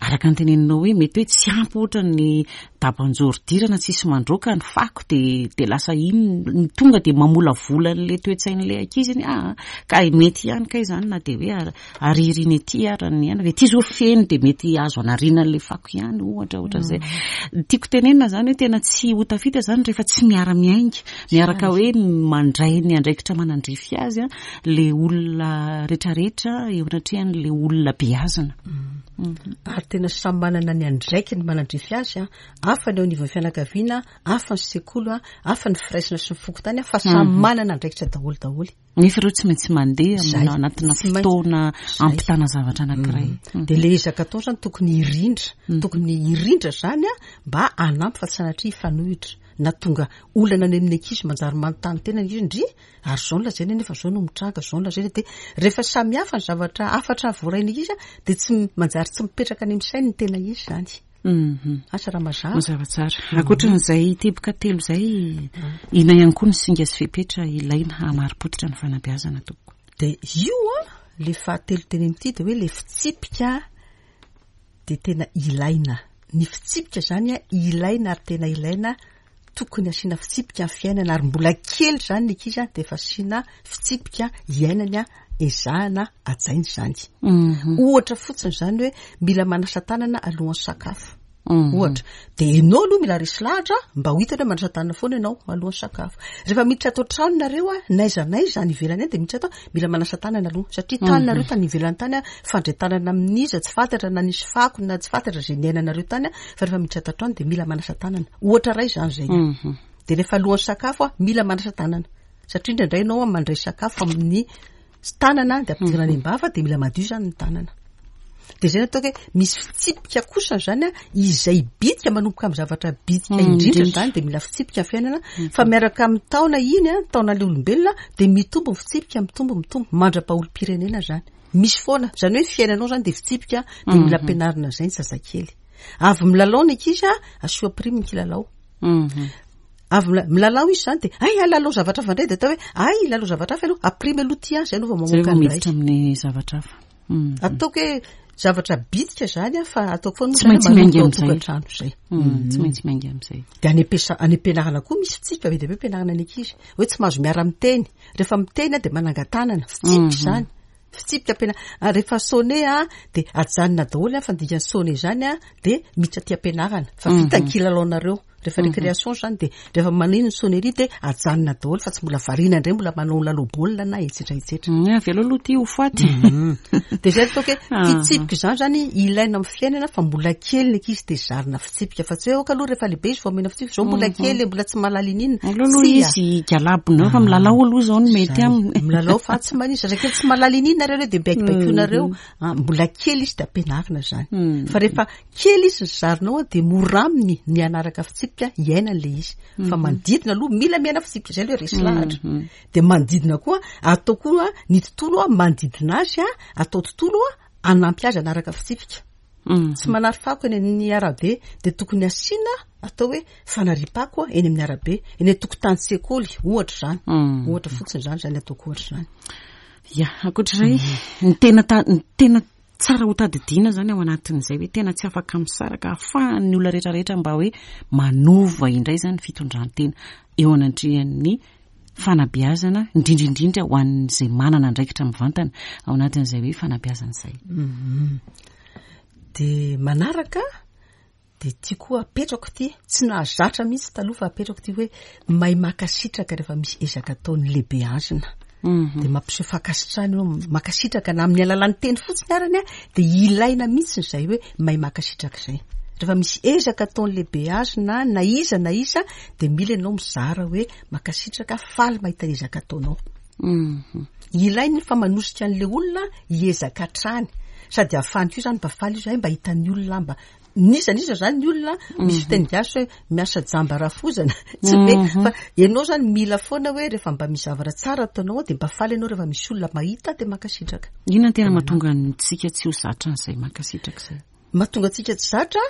Araka ny teneninao hoe mety hoe tsy ampy ohatra ny daban-joridirana, tsisy mandroaka ny fako dia dia lasa iny ny tonga dia mamolavola an'ilay toe-tsain'ilay ankizy iny. Ah, ka mety ihany kay izany na dia hoe Aririny ety ara ny aina, ety zao feno dia mety azo anariana an'ilay fako ihany ohatra ohatran'izay. Tiako tenenina zany hoe tena tsy ho tafita zany rehefa tsy miara-miainga, miaraka hoe mandray ny andraikitra manandrify azy le olona retraretra eo anatrehan'le olona beazina. Ary tena samy manana ny andraikiny manandrify azy an, hafa ny eo anivon'ny fianakaviana, hafa ny sekoly, hafa ny firaisana sy ny fokontany fa samy manana andraikitra daholo daholo. Nefa ireo tsy maintsy mandeha amina anatina fotoana ampitana zavatra anankiray. Dia ilay ezaka atao izany tokony hirindra, tokony hirindra izany an, mba hanampy fa tsy sanatria hifanohitra. Na tonga olana any amin'ny ankizy manjary manontany tena ny ankizy, ndry, ary izao no lazaina nefa izao no mitranga, izao no lazaina. Dia rehefa samy hafa ny zavatra hafatra voarain'ny ankizy an, dia tsy manjary tsy mipetraka any amin'ny sainy ny tena izy izany. Asa raha mazava. Mazava tsara. Ankoatran'izay teboka telo izay, inona ihany koa ny singa sy fepetra ilaina hahamari-pototra ny fanabeazana tompoko? Dia io an, ilay fahatelo teneniko ity dia hoe ilay fitsipika dia tena ilaina. Ny fitsipika izany an, ilaina ary tena ilaina, tokony asiana fitsipika ny fiainana ary mbola kely izany ny ankizy dia efa asiana fitsipika iainany an, ezahana hajaina izany. Ohatra fotsiny izany hoe mila manasa tanana alohan'ny sakafo. Ohatra. Dia ianao aloha mila resy lahatra mba ho hitany hoe manasa tanana foana ianao alohan'ny sakafo. Rehefa miditra ato an-trano nareo an, n'aiza n'aiza any ivelany any dia miditra ato, mila manasa tanana aloha satria tany nareo tany ivelany tany an, fandray tanana amin'iza tsy fantatra na nisy fako na tsy fantatra izay niainanareo tany an, fa rehefa miditra ato an-trano dia mila manasa tanana. Ohatra iray izany izay. Dia rehefa alohan'ny sakafo an, mila manasa tanana. Satria indraindray ianao mandray sakafo amin'ny tanana dia ampidirana any am-bava dia mila madio izany ny tanana. Dia izay no ataoko hoe misy fitsipika kosa izany an, izay bitika manomboka amin'ny zavatra bitika indrindra izany dia mila fitsipika ny fiainana, fa miaraka amin'ny taona iny an, taonan'ilay olombelona dia mitombo ny fitsipika, mitombo, mitombo mandra-paha-olom-pirenena izany. Misy foana, izany hoe ny fiainanao izany dia fitsipika, dia mila ampianarina an'izay ny zazakely. Avy milalao ny ankizy an, asio prime ny kilalao. Avy milalao izy izany dia hay halalao zavatra hafa indray dia atao hoe hay hilalao zavatra hafa ianao, aprime aloha ity an, izay aloha vao mamoaka ny iray. Miditra amin'ny zavatra hafa. Ataoko hoe zavatra bitika izany an, fa ataoko foana Tsy maintsy miainga amin'izay. Tokantrano izay. Tsy maintsy miainga amin'izay. Dia any am-piasa-, any am-pianarana koa misy fitsipika be dia be ampianarana ny ankizy. Hoe tsy mahazo miara-miteny. Rehefa miteny an dia manangan-tanana. Fitsipika izany. Fitsipika ampiana-, ary rehefa sonné an dia ajanona daholo an, fa ny dikan'ny sonné izany an dia miditra aty am-pianarana. Fa vita ny kilalaonareo. Rehefa récréation zany dia rehefa maneno ny sonnerie dia ajanona daholo fa tsy mbola variana indray mbola manao lalao baolina na etsetra etsetra. Avelao aloha ity ho faty. Dia zay ataoko hoe fitsipika izany zany ilaina amin'ny fiainana fa mbola kely ny ankizy dia zarina fitsipika fa tsy hoe aoka aloha rehefa lehibe izy vao omena fitsipika, zao mbola kely mbola tsy mahalala ininona. Aleo aloha izy higalabona eo fa milalao aloha izao no mety aminy. Milalao fa tsy maninona, zazakely tsy mahalala ininona nareo dia mibaikobaikoinareo. Mbola kely izy dia ampianarina izany. Fa rehefa Kely izy ny zarinao dia mora aminy ny hanaraka fitsipika hiainany ilay izy. Fa manodidina aloha mila miaina fitsipika, izay aloha resy lahatra. Dia manodidina koa, atao koa ny tontolo manodidina azy, atao tontolo hanampy azy hanaraka fitsipika. Tsy manary fako eny amin'ny arabe dia tokony asiana atao hoe fanariam-pako eny amin'ny arabe, eny an-tokotanin-tsekoly ohatra izany. Ohatra fotsiny izany, izany ataoko ohatra izany. Ya, ankoatr'izay, ny tena ta-, ny tena Tsara ho tadidiana izany ao anatin'izay hoe tena tsy afaka misaraka ahafahan'ny olona rehetra rehetra mba hoe manova indray izany ny fitondran-tena eo anatrehan'ny fanabeazana, indrindra indrindra ho an'izay manana andraikitra mivantana ao anatin'izay hoe fanabeazana izay. Dia manaraka Dia ity koa apetrako ity, tsy nahazatra mihitsy taloha fa apetrako ity hoe mahay mankasitraka rehefa misy ezaka ataon'ny lehibeazina. Dia mampiseho fankasitrahana eo, mankasitraka na amin'ny alalan'ny teny fotsiny arany an, dia ilaina mihitsy izay hoe mahay mankasitraka izay. Rehefa misy ezaka ataon'ny lehibeazina na iza na iza dia mila ianao mizara hoe mankasitraka, faly mahita ny ezaka ataonao. Ilaina iny fa manosika an'ilay olona hiezaka hatrany. Sady ahafahany koa izany mba faly izy hoe mba hitan'ny olona mba N'iza n'iza zany ny olona, misy fiteny gasy hoe miasa jamba rafozana, tsy be, fa ianao zany mila foana hoe rehefa mba misy zavatra tsara ataonao dia mba faly ianao rehefa misy olona mahita dia mankasitraka. Inona no tena mahatonga antsika tsy ho zatra an'izay mankasitraka izay? Mahatonga antsika tsy zatra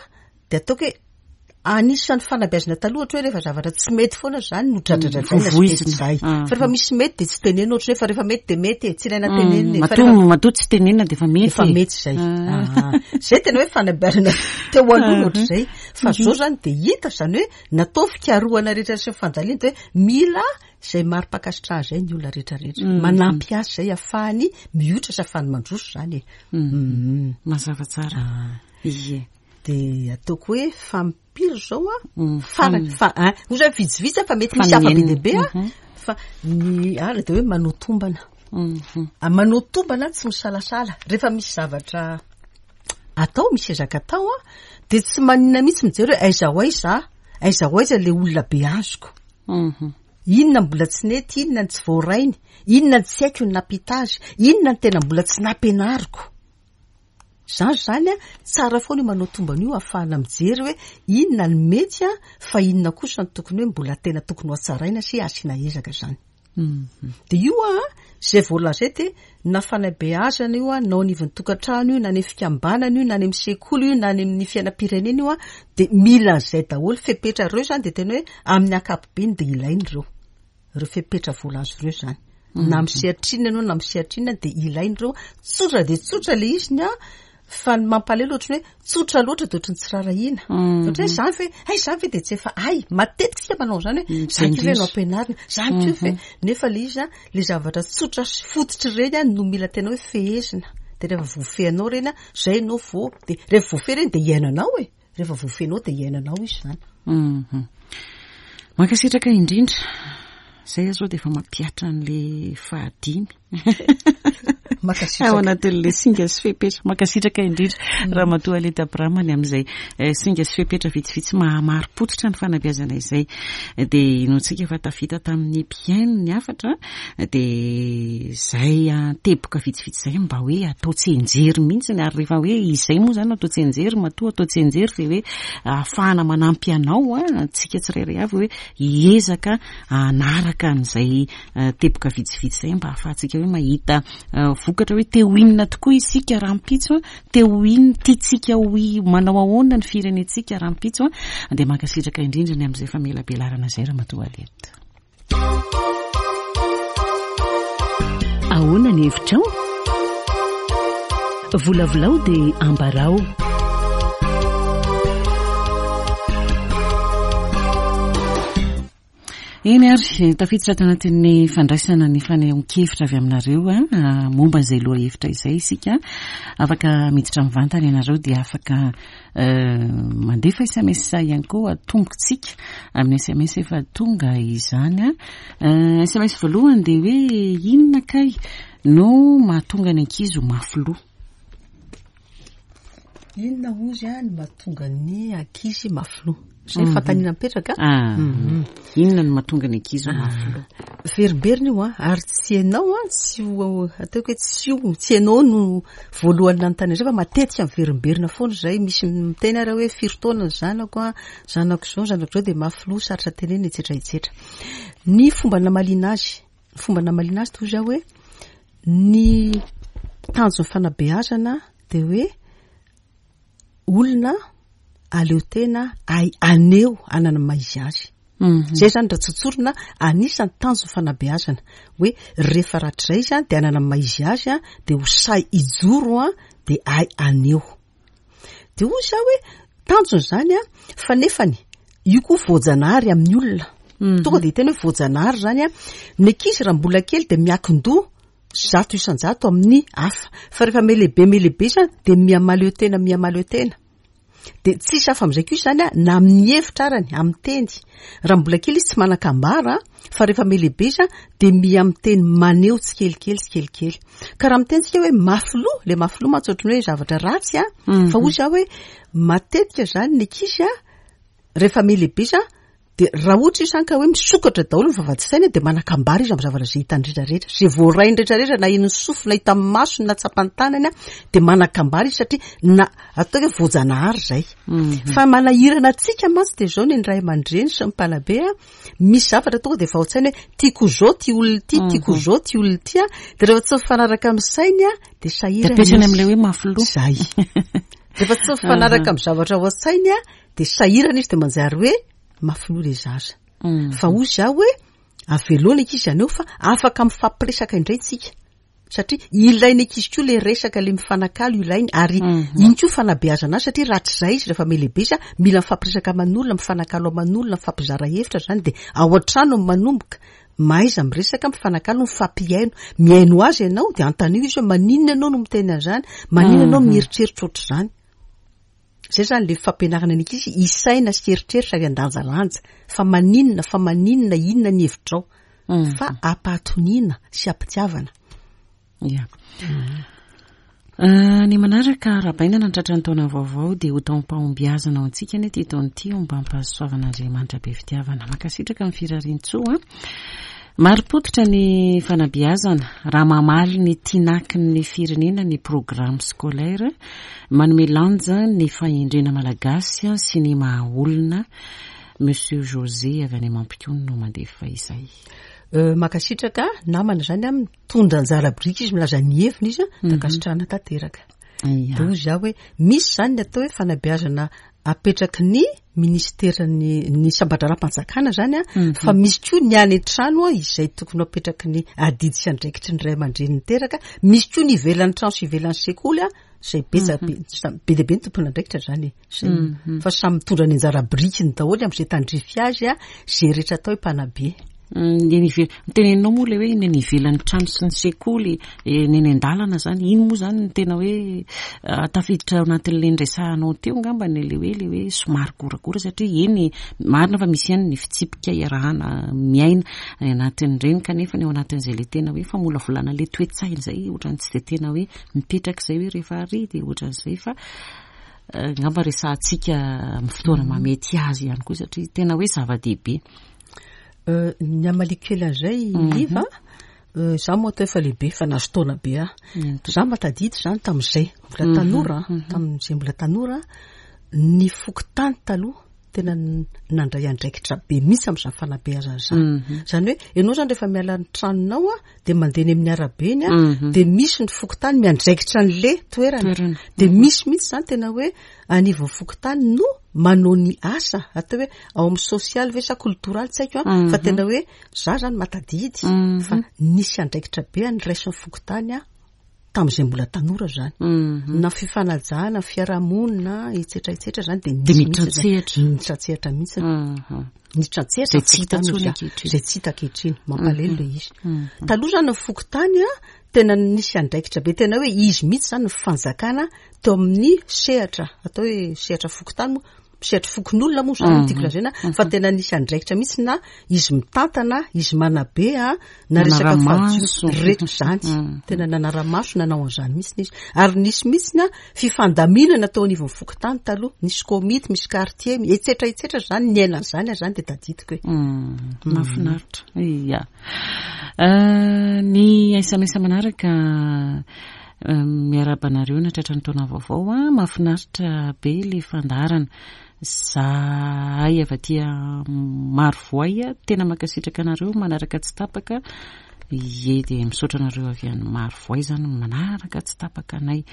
dia ataoko hoe anisan'ny fanabeazana taloha ohatra hoe rehefa zavatra tsy mety foana zany no dradradradraina sy mety zay. Fa rehefa misy mety dia tsy tenenina ohatra hoe fa rehefa mety dia mety e, tsy ilaina tenenina e. Fa Matoa rehefa matoa tsy tenenina dia efa mety efa e. mety zay. Ah. Zay tena hoe fanabeazana teo aloha no ohatr'izay. Fa zao zany dia hita zany hoe natao fikarohana rehetra sy fandalina dia hoe mila izay mari-pankasitrahana izay ny olona rehetra rehetra. Manampy azy izay ahafahany mioitra sy ahafahany mandroso izany e. Mazava tsara. Ie. Dia ataoko hoe fampiry izao a? Farany, fa, hein, hoy zany vitsivitsy fa mety misy hafa be dia be a. Fa ny ary dia hoe manao tombana. Manao tombana tsy misalasala. Rehefa misy zavatra atao, misy ezaka atao a, dia tsy maninona mihitsy mijery hoe aiza ho aiza aho, aiza ho aiza ilay olona be azoko. Inona mbola tsy nety, inona ny tsy voarainy, inona ny tsy haiko ny nampita azy, inona ny tena mbola tsy nampianariko. Izany izany an, tsara foana io manao tombana io ahafahana mijery hoe inona ny mety an, fa inona kosa no tokony hoe mbola tena tokony ho hatsaraina sy asiana ezaka izany. Dia io an, izay voalaza eto dia na fanabeazana io an, na ao anivon'ny tokantrano io, na any amin'ny fikambanana io, na any amin'ny sekoly io, na any amin'ny fiainam-pirenena io an, dia mila an'izay daholo. Fepetra ireo izany dia tena hoe amin'ny ankapobeny dia ilaina ireo. Ireo fepetra voalaza ireo izany. Na amin'ny sehatra inona ianao na amin'ny sehatra inona dia ilaina ireo. Tsotra dia tsotra ilay izy ny an, fa ny mampalahelo ohatran'ny hoe tsotra loatra dia ohatran'ny tsy rarahina. Ohatra hoe izany ve, hay izany ve dia tsy efa hay. Matetika isika manao an'izany hoe izany koa ve no ampianarina, izany koa ve. Nefa ilay izy an, ilay zavatra tsotra sy fototra ireny an no mila tena hoe fehezina. Dia rehefa voafehinao ireny an, izay ianao vao, dia rehefa voafehy ireny dia iainanao e. Rehefa voafehinao dia iainanao izy izany. Mankasitraka indrindra. Izay aho izao dia efa mampihatra an'ilay fahadimy. Mankasitraka. Ao anatin'ilay singa sy fepetra. Mankasitraka indrindra Ramatoa Aleta Abraham ny amin'izay singa sy fepetra vitsivitsy maha-marim-pototra ny fanabeazana izay. Dia inoantsika fa tafita tamin'ny mpihaino ny hafatra dia izay teboka vitsivitsy izay mba hoe atao tsianjery mihitsy ary rehefa hoe izay moa izany atao tsianjery matoa atao tsianjery dia hoe ahafahana manampy anao antsika tsirairay avy hoe hiezaka hanaraka an'izay teboka vitsivitsy izay mba ahafahantsika hoe mahita vokatra hoe te ho inona tokoa isika rahampitso, te ho inona, tiantsika ho manao ahoana ny firenentsika rahampitso. Dia mankasitraka indrindra ny amin'izay famelabelarana izay Ramatoa Aliette. Ahoana ny hevitrao? Volavolao dia ambarao. Eny ary, tafiditra tanatin'ny fandraisana ny fanehoan-kevitra avy aminareo momba izay lohahevitra izay isika. Afaka miditra mivantana ianareo dia afaka mandefa sms ihany koa atombokintsika amin'ny sms efa tonga izany. Sms voalohany dia hoe inona kay no mahatonga ny ankizy ho mafy loha? Inona hozy no mahatonga ny ankizy mafy loha? Izay ny fanontaniana mipetraka. Inona no mahatonga ny ankizy ho mafy loha? Verimberina io an, ary tsy ianao an, tsy ho ataoko hoe tsy io, tsy ianao no voalohany nanontany an'izay fa matetika miverimberina foana izay. Misy miteny ary hoe firy taona ny zanako an, zanako izao, zanako izao dia mafy loha, sarotra tenenina, etsetra etsetra. Ny fomba namaliana azy, ny fomba namaliana azy toy izao hoe ny tanjon'ny fanabeazana dia hoe olona aleo tena ay aneho anana maha izy azy. Zay zany raha tsotsorina anisan'ny tanjon'ny fanabeazana hoe rehefa rahatrizay izy dia anana maha izy azy dia ho sahy hijoro dia ay aneho. Dia hoy za hoe tanjona izany an, fa nefany io koa voajanahary amin'ny olona. Tonga dia tena hoe voajanahary izany an. Ny ankizy raha mbola kely dia miankin-doha 100% amin'ny hafa. Fa rehefa mihalehibe mihalehibe izy an, dia miha-mahaleo tena miha-mahaleo tena. Dia tsisy hafa amin'izay koa izany an, na amin'ny hevitra arany, amin'ny teny. Raha mbola kely izy tsy manan-kambara, fa rehefa mihalehibe izy an, dia miha miteny maneho tsikelikely tsikelikely. Ka raha miteny tsika hoe mafy loha, le mafy loha mantsy ohatran'ny hoe zavatra ratsy an, fa hoy za hoe matetika izany ny ankizy an, rehefa mihalehibe izy an, dia raha ohatra izy izany ka hoe misokatra daholo ny vavahady saina dia manan-kambara izy amin'ny zavatra izay hitany rehetra rehetra, izay voarainy rehetra rehetra, na henon'ny sofiny, na hitan'ny masony, na tsapan'ny tanany an, dia manan-kambara izy satria na atao hoe voajanahary izay. Fa manahirana antsika mantsy dia izao ny ray aman-dreny sy ny mpanabe an, misy zavatra tonga dia efa ao an-tsaina hoe tiako ho izao ity olona ity, tiako ho izao ity olona ity an, dia rehefa tsy mifanaraka amin'ny sainy an, dia sahirana Dia apetrany izy. amin'ilay hoe mafy loha. Izay. Rehefa tsy mifanaraka amin'ny zavatra ao an-tsainy an, dia sahirana izy dia manjary hoe mafy loha ilay zaza. Fa hoy izaho hoe avelao ny ankizy haneho fa afaka mifampiresaka indray tsika. Satria ilain'ny ankizy koa ilay resaka, ilay mifanakalo ilainy ary iny koa fanabeazana azy satria rahatrizay izy rehefa mihalehibe izy mila mifampiresaka aman'olona, mifanakalo aman'olona, mifampizara hevitra izany dia ao an-trano no manomboka. Mahaiza miresaka, mifanakalo, mifampihaino. Mihaino azy ianao dia antanio izy hoe maninona ianao no miteny an'izany, maninona ianao mieritreritra ohatr'izany. Izay izany ilay fampianarana ny ankizy hisaina sy hieritreritra ary handanjalanja fa maninona, fa maninona, inona ny hevitrao. Fa ampahatoniana sy ampitiavana. Ya. Ny manaraka arahabaina nantratra ny taona vaovao dia ho taom-pahombiazana ho antsika anie ity taona ity ombam-pahasoavan'Andriamanitra be fitiavana. Mankasitraka ny firarian-tsoa. Marim-pototra ny fanabeazana raha mamaly ny tinaky ny firenena ny programme scolaire, manome lanja ny fahendrena malagasy sy ny maha olona. Monsieur José avy any Mampikony no mandefa izay. Mankasitraka namana izany an, mitondra anjara biriky izy, milaza ny heviny izy, dia ankasitrahana tanteraka. Dia hoy izaho hoe misy izany ny atao hoe fanabeazana apetraky ny ministeran'ny ny samban-draharaham-panjakana izany an, fa misy koa ny any an-trano izay tokony ho apetraky ny adidy sy andraikitry ny ray aman-dreny niteraka, misy koa ny ivelan'ny trano sy ivelan'ny sekoly an, izay betsaka be, be dia be ny tompon'andraikitra izany e. Izay, fa samy mitondra ny anjara birikiny daholo amin'izay tandrify azy an, izay rehetra atao hoe mpanabe. Ny eny ivelany, ny teneninao moa ilay hoe ny eny ivelan'ny trano sy ny sekoly, ny eny an-dalana izany, iny moa izany no tena hoe tafiditra ao anatin'ilay niresahanao teo angambany ilay hoe ilay hoe somary goragora satria eny marina fa misy ihany ny fitsipika iarahana miaina any anatin'ireny kanefa ny ao anatin'izay ilay tena hoe famolavolana ilay toe-tsaina izay ohatran'ny tsy dia tena hoe mipetraka izay hoe rehefa ary dia ohatran'izay fa angamba resahantsika amin'ny fotoana mahamety azy ihany koa satria tena hoe zava-dehibe. Ny hamaliako kely an'izay Liva, za moa atao efa lehibe, efa nahazo taona be aho. Za mahatadidy izany tamin'izay mbola tanora, tamin'izay mbola tanora, ny fokontany taloha tena nandray andraikitra be mihitsy amin'izany fanabeazana izany. Izany hoe ianao izany rehefa miala ny tranonao a, dia mandeha eny amin'ny arabe eny a, dia misy ny fokontany miandraikitra an'le toerana. Dia misy mihitsy izany tena hoe anivon'ny fokontany no manao ny asa, atao hoe ao amin'ny sosialy ve sa koltoraly tsy haiko an, fa tena hoe za zany mahatadidy fa nisy andraikitra be an'iraisin'ny fokontany aho tamin'izay mbola tanora zany. Na fifanajana, fiarahamonina, etsetra etsetra zany dia nisy mihitsy zany. Niditra an-tsehatra mihitsy. Niditra an-tsehatra Izay tsy hita intsony ankehitriny. Izay tsy hita ankehitriny. Mampalahelo ilay izy. Taloha zany ny fokontany an, tena nisy andraikitra be, tena hoe izy mihitsy zany ny fanjakana teo amin'ny sehatra, atao hoe sehatra fokontany moa, sehatra fokonolona moa zany no tiako lazaina, fa tena nisy andraikitra mihitsy na izy mitantana, izy manabe a, na resaka Nanara-maso. fadio, reto zany. Tena nanara-maso nanao an'izany mihitsy izy. Ary nisy mihitsy na fifandaminana teo anivon'ny fokontany taloha, nisy komity, misy quartier, etsetra etsetra zany, niaina an'izany aho zany dia tadidiko e. Mahafinaritra. Ia. Ny sms manaraka miarahaba anareo nahatratra ny taona vaovao a, mahafinaritra be ilay fandaharana. Zahay avy aty Marovoay tena mankasitraka anareo manaraka tsy tapaka. Ie dia misaotra anareo avy any Marovoay izany manaraka tsy tapaka anay.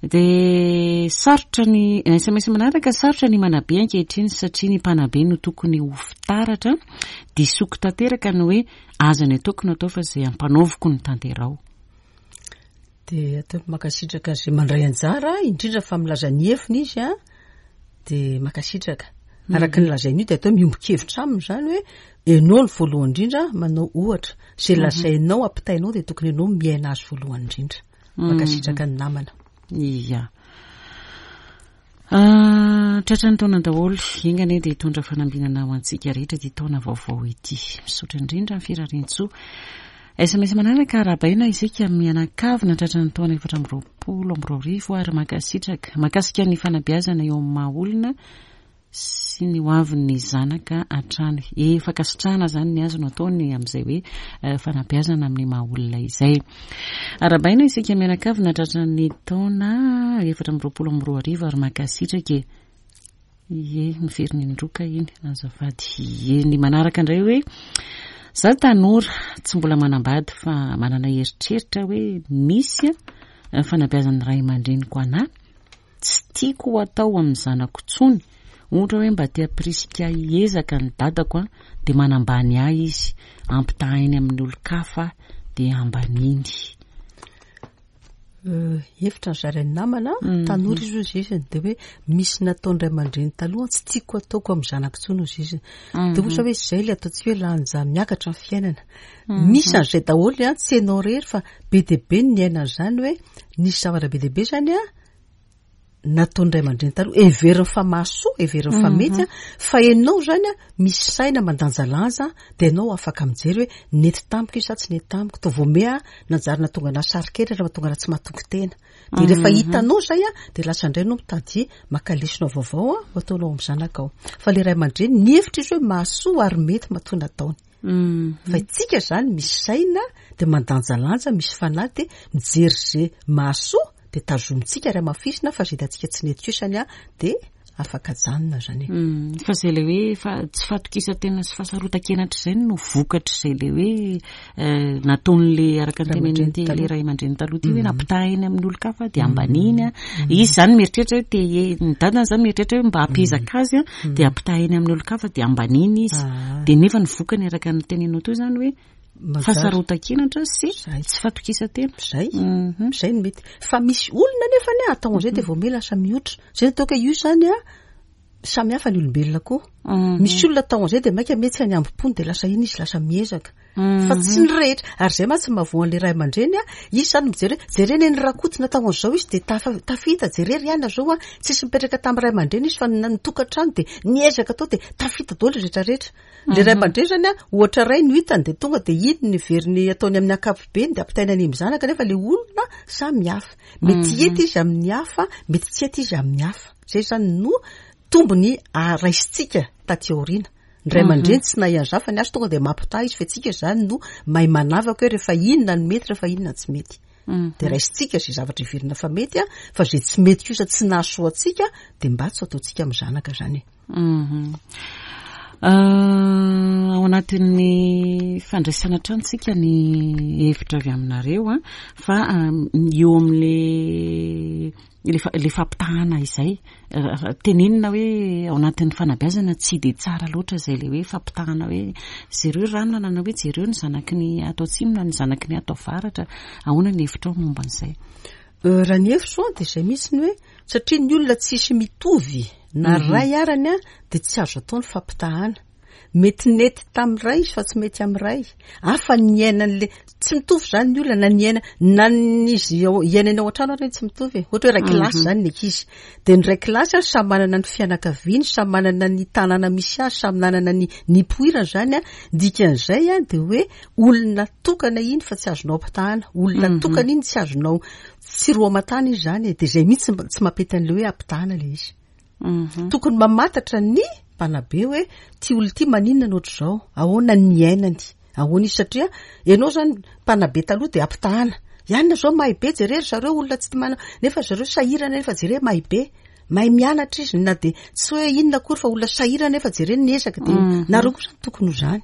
Dia sarotra ny sms manaraka, sarotra ny manabe ankehitriny satria ny mpanabe no tokony ho fitaratra. Disoko tanteraka ny hoe aza ny ataoko no atao fa izay ampanaoviko no tanteraho. Dia ataoko mankasitraka izay mandray anjara, indrindra fa milaza ny heviny izy an, dia mankasitraka. Araka ny lazainy io dia atao miombon-kevitra aminy izany hoe ianao no voalohany indrindra manao ohatra. Izay lazainao ampitainao dia tokony ianao miaina azy voalohany indrindra. Mankasitraka ny namana. Ia. Ah, tratran'ny taona daholo, enga anie dia hitondra fanambinana ho antsika rehetra ity taona vaovao ity. Misaotra indrindra ny firariantsoa. SMS manaraka, arahabaina isika mianakavy tratran'ny taona 2024 ary mankasitraka. Mahakasika ny fanabeazana eo amin'ny maha olona sy ny ho avin'ny zanaka hatrany. Efa ankasitrahana izany ny azo no ataony amin'izay hoe eh, fanabeazana amin'ny maha olona izay. Arahabaina isika mianakavy nahatratra ny taona 2024 ary mankasitraka e. Ie, miverina indroa ka iny, azafady. Ie, ny manaraka indray hoe za tanora tsy mbola manambady fa manana eritreritra hoe misy fanabeazan'ny ray aman-dreniko anahy Tsy tiako ho atao amin'ny zanako intsony, ohatra hoe mba te hampirisika ahy hiezaka ny dadako an, dia manambany ahy izy, ampitahainy amin'ny olon-kafa dia ambaniny. Hevitra ny zarain'ny namana, tanora izy hozy izy, dia hoe misy nataon'ny ray aman-dreny taloha tsy tiako ataoko amin'ny zanako intsony hozy izy. Dia ohatra hoe izay ilay ataontsika hoe lanja miakatra ny fiainana. Misy an'izay daholo an, tsy ianao irery fa be dia be ny niaina an'izany hoe nisy zavatra be dia be izany an, nataon'ny ray aman-dreny taloha, heveriny fa mahasoa, heveriny fa mety an, fa ianao izany an, misy saina mandanjalanja, dia ianao afaka mijery hoe nety tamiko io sa tsy nety tamiko, toa vao mea nanjary nahatonga anà saro-kenatra, nahatonga anà tsy mahatoky tena. Dia rehefa hitanao izay an, dia lasa indray ianao mitady maka lesona vaovao an, ho ataonao amin'ny zanakao. Fa ilay ray aman-dreny nihevitra izy hoe mahasoa ary mety matoa nataony. Fa itsika zany misy saina dia mandanjalanja, misy fanahy dia mijery ze mahasoa dia tazomintsika ary hamafisina fa ze hitantsika tsy nety kosany an dia afaka ajanona zany e. Fa zay le hoe fa tsy fahatokisan-tena sy fahasarotan-kenatra izay no vokatr'izay le hoe nataon'le araka ny tenenin'ity le ray aman-dreny taloha ity hoe nampitahainy amin'ny olon-kafa dia ambaniny an. Izy zany mieritreritra hoe te ny dadany zany mieritreritra hoe mba hampiezaka azy an dia ampitahainy amin'ny olon-kafa dia ambaniny izy. Dia nefa ny vokany araka ny teneninao teo zany hoe fahasarotan-kenatra sy tsy fahatokisan-tena. Zay, zay no mety. Fa misy olona nefa anie atao an'izay dia vao miha lasa mihotra. Zay no ataoko hoe io zany an. Samy hafa ny olombelona koa. Misy olona atao an'izay dia mainka mihetsika ny hambom-pony dia lasa iny izy lasa miezaka. Fa tsy ny rehetra. Ary izay mantsy no mahavoa an'ilay ray aman-dreny a, izy izany mijery hoe jerena eny Rakoto natao an'izao izy dia tafa- tafita, jere ry anona izao a, tsisy nipetraka tamin'ny ray aman-dreny izy fa ny nitokantrano dia niezaka tao dia tafita daholo ny rehetra rehetra. Ilay ray aman-dreny izany a, ohatra iray no hitany dia tonga dia iny no heveriny ataony amin'ny ankapobeny dia ampitainy any amin'ny zanaka nefa ilay olona samy hafa. Mety hety izy amin'ny hafa, mety tsy hety izy amin'ny hafa. Izay izany no tombony raisintsika taty aoriana. Ny ray aman-dreny tsy nahay an'izany fa ny azy tonga dia mampitaha izy fa antsika izany no mahay manavaka hoe rehefa inona no mety rehefa inona no tsy mety. Dia raisintsika izay zavatra heverina fa mety fa izay tsy mety kosa tsy nahasoa antsika dia mba tsy ataontsika amin'ny zanaka izany e. Ao anatin'ny fandraisana hatrany tsika ny hevitra avy aminareo fa eo amin'le le fampitahana izay tenenina hoe ao anatin'ny fanabeazana tsy dia tsara loatra izay le hoe fampitahana hoe jereo ranona na hoe jereo ny zanaky ny ato atsimo na ny zanaky ny ato avaratra. Ahoana ny hevitrao momba an'izay? Raha ny hevitro dia izay mihitsy ny hoe satria ny olona tsisy mitovy na ray arany dia tsy azo atao ny fampitahana. Mety nety tamin'ny ray izy fa tsy mety amin'ny ray. Hafa ny niainan'le, tsy mitovy izany ny olona na niaina, na ny izy ao, iainany ao an-trano ary tsy mitovy e. Ohatra hoe iray kilasy izany ny ankizy. Dia ny iray kilasy ary samy manana ny fianakaviany, samy manana ny tanàna misy azy, samy nanana ny nipoirany izany an. Dikan'izay an, dia hoe olona tokana iny fa tsy azonao ampitahana. Olona tokana iny tsy azonao, tsy roa aman-tany izy izany e. Dia izay mihitsy tsy mampety an'ilay hoe ampitahana ilay izy. Tokony mamantatra ny mpanabe hoe ty olona ity maninona no ohatr'izao, ahoana ny niainany, ahoana izy satria ianao zany mpanabe taloha dia ampitahana, ianona zao mahay be jere ry zareo olona tsy mana nefa ry zareo sahirana nefa jere mahay be, mahay mianatra izy na dia tsy hoe inona akory fa olona sahirana nefa jere ny ezaka dia nareo koa zany tokony ho zany.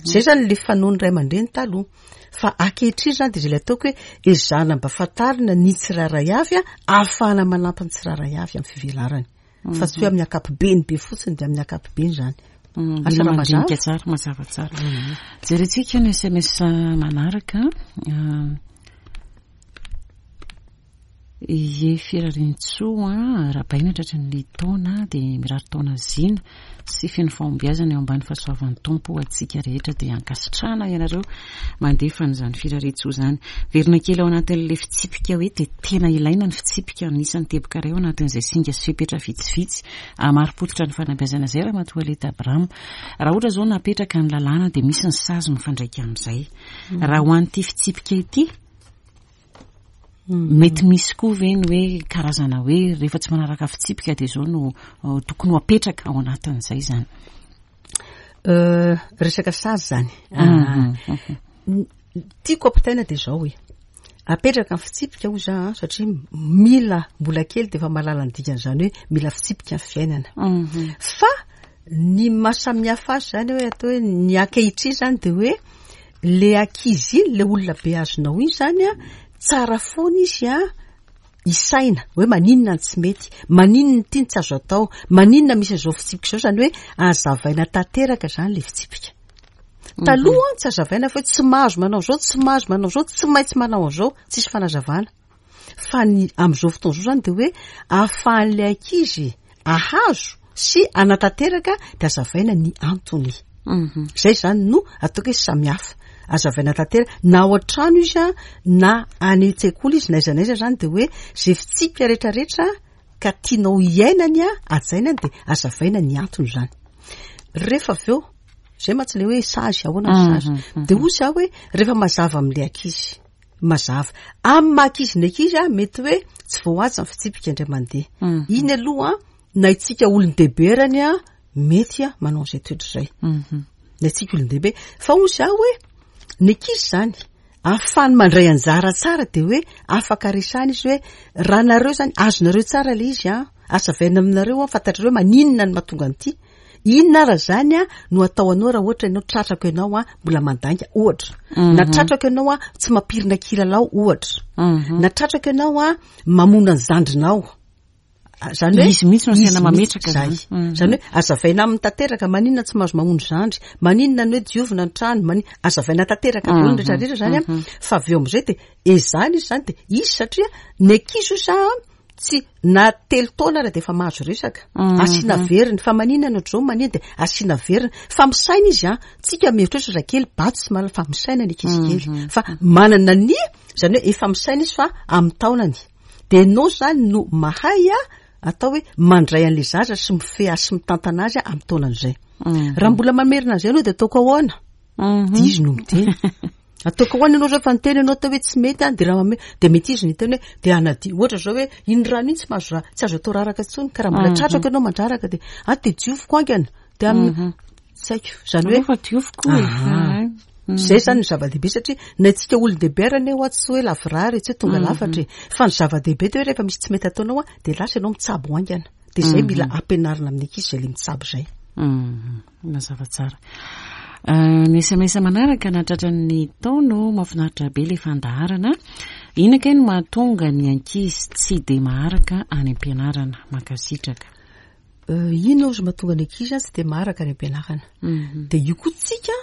Zay zany le fanaon'ny ray aman-dreny taloha. Fa ankehitriny zany dia zay le ataoko hoe ezahana mba fantarina ny tsirairay avy ahafahana manampy ny tsirairay avy amin'ny fivelarany. Fa tsy hoe amin'ny ankapobeny be fotsiny dia amin'ny ankapobeny zany. Asa raha mazava? Tsara, mazava tsara. Jerentsika ny SMS manaraka. Ie Firariantsoa a, arahabaina tratry ny taona dia mirary taona zina sy feno fahombiazana eo ambany fahasoavan'ny Tompo ho antsika rehetra dia ankasitrahana ianareo mandefa an'izany firariantsoa izany. Verina kely ao anatin'ilay fitsipika hoe dia tena ilaina ny fitsipika anisan'ny teboka iray ao anatin'izay singa sy fepetra vitsivitsy hamari-pototra ny fanabeazana izay Ramatoa Aleta Abraham. Raha ohatra izao napetraka ny lalàna dia misy ny sazy mifandraika amin'izay. Raha ho an'ity fitsipika ity Mety misy koa ve ny hoe karazana hoe rehefa tsy manaraka fitsipika dia izao no tokony ho apetraka ao anatin'izay izany? Resaka sazy izany. Tiako ampitaina dia izao hoe, apetraka ny fitsipika hoy za satria mila mbola kely dia efa mahalala ny dikan'izany hoe mila fitsipika ny fiainana. Fa ny maha samihafa azy izany hoe atao hoe ny ankehitriny izany dia hoe le ankizy iny, le olona beazinao iny izany an, tsara foana izy an, isaina hoe maninona no tsy mety, maninona ity no tsy azo atao, maninona misy an'izao fitsipika izao, izany hoe azavaina tanteraka izany le fitsipika. Taloha tsy azavaina fa hoe tsy mahazo manao izao, tsy mahazo manao izao, tsy maintsy manao an'izao, tsisy fanazavana. Fa ny amin'izao fotoana izao izany dia hoe ahafahan'ilay ankizy ahazo sy hanatanteraka dia azavaina ny antony. Izay izany no ataoko hoe samy hafa. Azavaina tanteraka na ao an-trano izy a, na any an-tsekoly izy, na aiza na aiza izany dia hoe izay fitsipika rehetrarehetra ka tianao hiainany a, hajaina dia azavaina ny antony izany. Rehefa avy eo, izay mantsy ilay hoe sazy, ahoana ny sazy. Dia hoy izaho hoe rehefa mazava amin'ilay ankizy. Mazava. Amin'ny maha ankizy ny ankizy a, mety hoe tsy voahaja ny fitsipika indray mandeha. Iny aloha na itsika olon-dehibe arany a, mety a manao an'izay toetra izay. Na itsika olon-dehibe. Fa hoy izaho hoe, ny ankizy izany, ahafahany mandray anjara tsara dia hoe afaka resahina izy hoe raha nareo izany, azonareo tsara ilay izy a, azavaina aminareo a, fantatrareo hoe maninona no mahatonga an'ity. Inona ara zany a no atao anao raha ohatra ianao tratrako ianao a mbola mandainga ohatra. Na tratrako ianao a tsy mampirina kilalao ohatra. Na tratrako ianao a mamono ny zandrinao. Zany hoe Izy mihitsy no izy asaina mihitsy mametraka zay. izany. Zany hoe azavaina aminy tanteraka maninona tsy mahazo mamono zandry, maninona ny hoe diovina ny trano, azavaina tanteraka daholo ny rehetra rehetra zany a. Fa avy eo amizay dia ezahina izy zany dia izy satria ny ankizy osa. Tsy, na telo taona ara dia efa mahazo resaka. Asiana veriny, fa maninona ny ohatr'izao, maninona dia asiana veriny. Fa misaina izy an, tsika mieritreritra zazakely, bato tsy mahalala fa misaina ny ankizy kely. Fa manana ny, izany hoe efa misaina izy fa amin'ny taonany. Dia ianao izany no mahay atao hoe mandray an'ilay zaza sy mifehy azy sy mitantana azy amin'ny taonan'izay. Raha mbola mamerina an'izay ianao dia ataoko ahoana? Dia izy no miteny. Ataoko ahoana ianao zao fa niteny ianao teo hoe tsy mety an, dia raha mame, dia mety izy no hiteny hoe dia hanadio, ohatra zao hoe iny rano iny tsy mahazo ra, tsy azo atao raraka intsony, ka raha mbola tratrako ianao mandraraka dia ah dia dioviko haingana, dia amin'ny, tsy haiko, izany hoe. Aleo fa dioviko e. Aha. Izay izany no zava-dehibe satria na isika olon-dehibe ary anie hoa tsy hoe lavorary e, tsy hoe tonga lafatra e, fa ny zava-dehibe dia hoe rehefa misy tsy mety ataonao an, dia lasa ianao mitsabo haingana, dia izay mila ampianarina amin'ny ankizy izay ilay mitsabo izay. Mazava tsara. Ny sms manaraka nahatratra ny taono, mahafinaritra be ilay fandaharana. Inona kay no mahatonga ny ankizy tsy dia maharaka any am-pianarana? Mankasitraka. Inona ozy mahatonga ny ankizy tsy dia maharaka any am-pianarana? Dia io koa tsika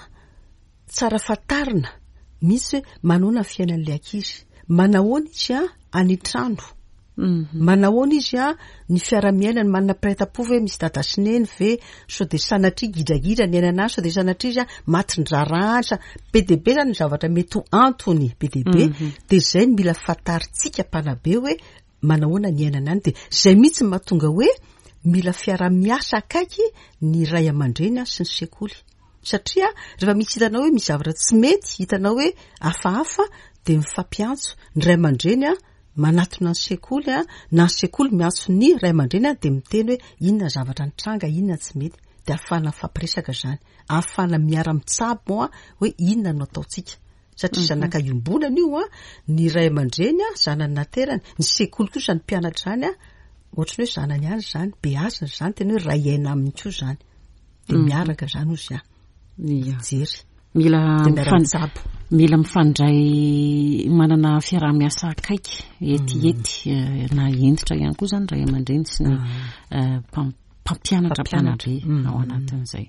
tsara fantarina mihitsy hoe manahoana ny fiainan'ilay ankizy, manahoana izy any an-trano. Manahoana izy an, ny fiara-miainany, manana mpiray tampo ve, misy dada sy neny ve, sao dia sanatria gidragidra ny ainana any, sao dia sanatria izy an matin-draharaha any, sa be dia be zany ny zavatra mety ho antony be dia be, dia izay no mila fantarintsika mpanabe hoe manahoana ny iainana any, dia izay mihitsy no mahatonga hoe mila fiara-miasa akaiky ny ray aman-dreny sy ny sekoly. Satria rehefa misy hitanao hoe misy zavatra tsy mety, hitanao hoe hafahafa, dia mifampiantso ny ray aman-dreny manatona ny sekoly na ny sekoly miantso ny ray aman-dreny dia miteny hoe inona ny zavatra nitranga, inona ny tsy mety. Dia ahafahana mifampiresaka izany, ahafahana miara-mitsabo hoe inona no ataontsika. Satria zanaka iombonana io, ny ray aman-dreny zanany naterany, ny sekoly koa izany mpianatra izany, ohatran'ny hoe zanany ihany izany, beazina izany, tena hoe ray aina aminy koa izany. Dia miaraka izany hozy aho. Mijery. Mila mitsabo. Mila mifandray manana fiaraha-miasa akaiky etiety na hentitra ihany koa izany ray aman-dreny sy ny mpampianatra mpanabe ao anatin'izay.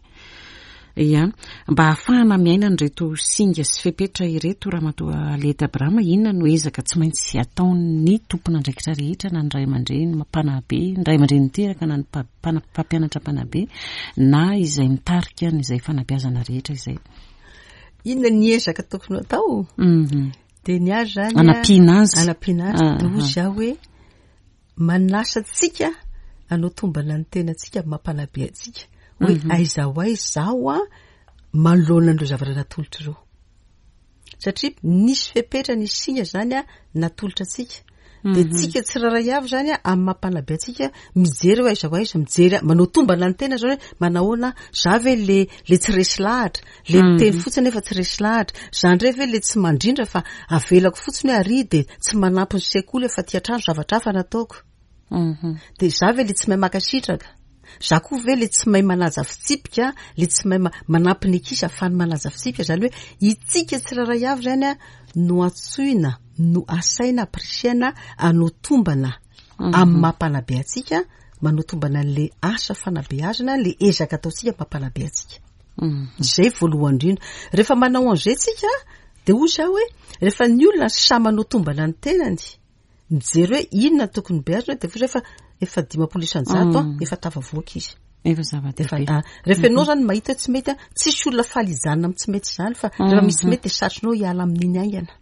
Ia, mba hahafahana miaina an'ireto singa sy fepetra ireto Ramatoa Aliette Abraham, inona no ezaka tsy maintsy ataon'ny tompon'andraikitra rehetra na ny ray aman-dreny mpanabe, ny ray aman-dreny niteraka na ny mpampianatra mpanabe na izay mitarika an'izay fanabeazana rehetra izay. Inona ny ezaka tokony atao? Dia ny azy izany Anampiana azy. Anampiana azy. Dia hoy izaho hoe manasa antsika hanao tombana ny tenantsika amin'ny maha mpanabe antsika hoe aiza ho aiza izaho an manoloana an'ireo zavatra natolotra ireo. Satria nisy fepetra, nisy singa izany an natolotra antsika. Dia tsika tsirairay avy izany an amin'ny maha mpanabe antsika mijery hoe aiza ho aiza, mijery manao tombana ny tena izany hoe manahoana aho, za ve le le tsy resy lahatra, le miteny fotsiny nefa tsy resy lahatra, za indray ve le tsy mandrindra fa avelako fotsiny hoe ary dia tsy manampy ny sekoly aho fa aty an-trano zavatra hafa no ataoko. Dia za ve le tsy mahay mankasitraka? Za koa ve le tsy mahay manaja fitsipika, le tsy mahay manampy ny ankizy ahafahany manaja fitsipika? Izany hoe itsika tsirairay avy izany an no antsoina, no asaina, ampirisihana hanao tombana amin'ny maha mpanabe antsika, manao tombana an'le asa fanabeazana, le ezaka ataontsika maha mpanabe antsika. Izay voalohany indrindra. Rehefa manao an'izay tsika dia hoy za hoe rehefa ny olona samy manao tombana ny tenany, mijery hoe inona no tokony beazina dia efa efa 50% an, efa tafavoaka izy. Efa zava-dehibe. Efa, rehefa ianao zany mahita hoe tsy mety an, tsisy olona faly hijanona amin'ny tsy mety izany fa rehefa misy mety dia satrinao hiala amin'iny haingana.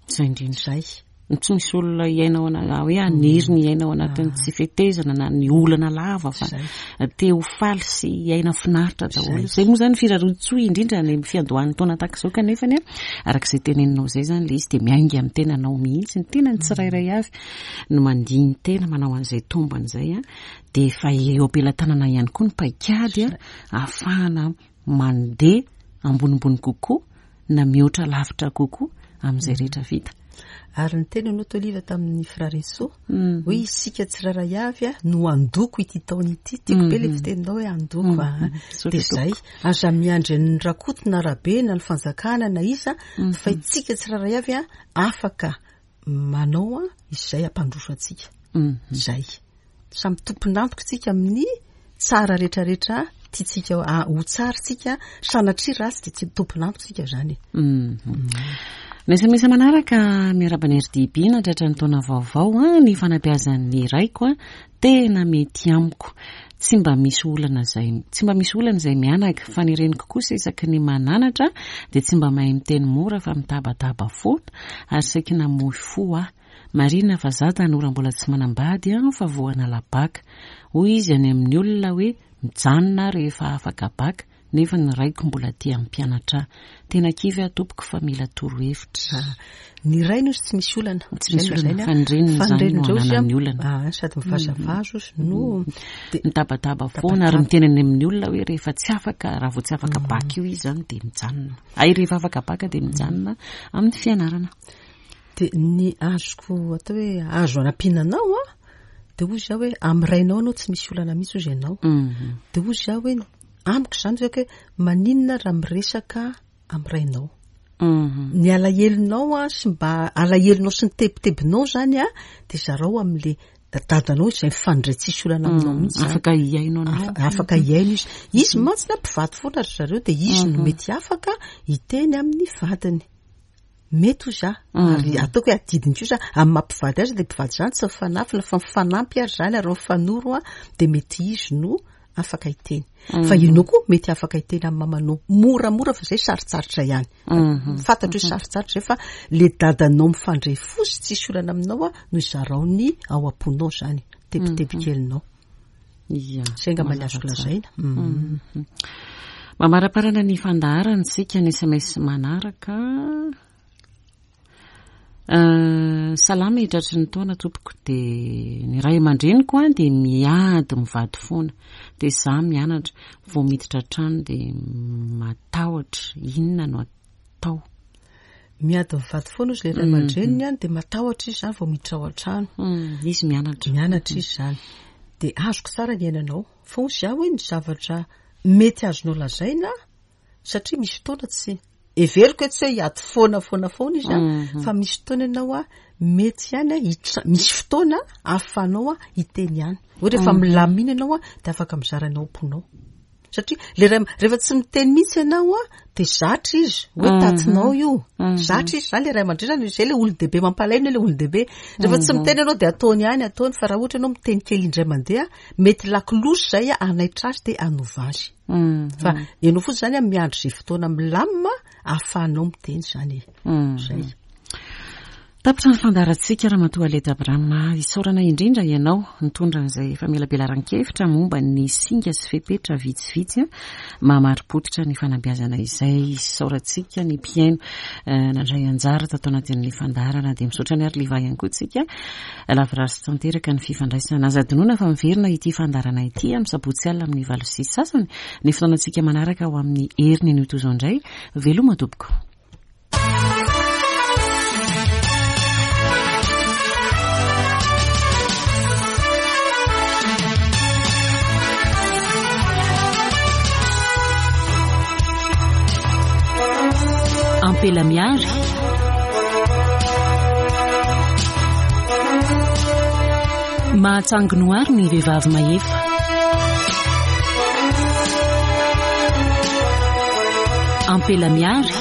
Izay indrindra. Izay. Tsy misy olona hiaina ao ana-, hoe haniry ny hiaina ao anatin'ny tsy fetezana na ny olana lava fa te ho faly sy hiaina finaritra daholo. Izay moa izany firarian-tsoa indrindra any amin'ny fiandohan'ny taona tahaka izao kanefa anie araka izay teneninao izay izany ilay izy dia miainga amin'ny tenanao mihitsy, ny tenany tsirairay avy no mandini-tena manao an'izay tombany izay an, dia efa eo am-pelatanana ihany koa ny paikady ahafahana mandeha ambonimbony kokoa na mihoatra lavitra kokoa amin'izay rehetra vita. Ary niteny ianao teo Liva tamin'ny Frarisoa hoe isika tsirairay avy no handoko ity taona ity. Tiako be ilay fiteninao hoe handoko a. Dia izay, aza miandry an'ny Rakoto na Rabe na ny fanjakana na iza fa isika tsirairay avy afaka manao izay hampandroso antsika. Izay. Samy tompon'antoka isika amin'ny tsara rehetrarehetra tiantsika ho tsara isika, sanatria ratsy dia tsy tompon'antoka isika izany e. Ny sms manaraka, miarahaba ny RDB nahatratra ny taona vaovao an, ny fanabeazan'ny raiko an, tena mety amiko. Tsy mba misy olana izay, tsy mba misy olana izay mianaka, fa ny reniko kosa isaky ny mananatra dia tsy mba mahay miteny mora fa mitabataba foana ary saiky namoy fo aho. Marina fa za tanora mbola tsy manambady an fa vao hanala baka. Hoy izy any amin'ny olona hoe mijanona aho rehefa afaka baka nefa ny raiko mbola te hampianatra ahy. Tena kivy aho tompoko fa mila torohevitra. Ah, ny rainy ozy tsy misy olana. Tsy misy olana, fa ny reniny izany no ananany olana. Ah, sady mivazavaza ozy no mitabataba foana ary miteny any amin'ny olona hoe rehefa tsy afaka, raha vao tsy afaka baka io izy izany dia mijanona. Ay, rehefa afaka baka dia mijanona amin'ny fianarana. Dia ny azoko atao hoe azo anampiana anao an, dia hoy izaho hoe amin'ny rainao anao tsy misy olana mihitsy hozy ianao. Dia hoy izaho hoe amiko izany hoe hoe maninona raha miresaka amin'ny rainao. Ny alahelonao an sy mba alahelonao sy ny tebitebinao izany an, dia zarao amin'ilay dadanao izay mifandray tsisy olana aminao mihitsy izany. Afaka hihaino anao. Afaka hihaino izy. Izy mantsy na mpivady foana ry zareo dia izy no mety afaka hiteny amin'ny vadiny. Mety hoy za, ary ataoko hoe adidiny kosa amin'ny maha mpivady azy dia mpivady zany tsy mifanafina fa mifanampy ary zany ary mifanoro an, dia mety izy no afaka hiteny. Fa ianao koa mety afaka hiteny amin'ny mamanao moramora fa zay sarotsarotra ihany. Fantatro hoe sarotsarotra zay fa le dadanao mifandray fo sy tsisy olana aminao an no izarao ny ao am-ponao zany, tebiteby kelinao. Ia. Zay angamba ny azoko lazaina. Mhm. Mamaraparana ny fandaharana isika ny sms manaraka. Euh, salama e tratry ny taona tompoko dia ny ray aman-dreniko an dia miady mivady foana dia za mianatra vao miditra an-trano dia matahotra inona no atao. Miady mivady foana ozy le ray aman-dreniny an dia matahotra izy zany vao miditra ao an-trano. Izy mianatra. Mianatra izy zany. Dia azoko tsara ny iainanao. Fa hozy aho hoe ny zavatra mety azonao lazaina satria misy fotoana tsy heveriko hoe tsy hoe hiady foana foana foana izy an, fa misy fotoana ianao an mety ihany an hitra- misy fotoana ahafahanao an hiteny ihany. Hoe rehefa milamina ianao an dia afaka mizara ny ao am-ponao. Satria le ray rehefa tsy miteny mihitsy ianao an, dia zatra izy hoe tatinao io. Zatra izy zany le ray aman-dreny zany, izay le olon-dehibe mampalahelo le olon-dehibe. Rehefa tsy miteny ianao dia ataony ihany, ataony fa raha ohatra ianao miteny kely indray mandeha, mety lakolosy izay hanaitra azy dia hanova azy. Fa ianao fotsiny zany an miandry izay fotoana milamina ahafahanao miteny izany e. Izay. Tapitra ny fandaharantsika Ramatoa Aleta Abraham. Isaorana indrindra ianao nitondra an'izay famelabelaran-kevitra momba ny singa sy fepetra vitsivitsy maha-marim-pototra ny fanabeazana izay. Isaorantsika ny mpihaino nandray anjara tato anatin'ny fandaharana. Dia misaotra an'i Arliva ihany koa isika. Lavorary sy tanteraka ny fifandraisana. Aza adinoina fa miverina ity fandaharana ity amin'ny sabotsy alina amin'ny 8:30. Ny fotoanantsika manaraka ho amin'ny heriny anio toy izao indray. Veloma tompoko. Ampela miary. Mahatsangy noary ny vehivavy mahefa. Ampela miary.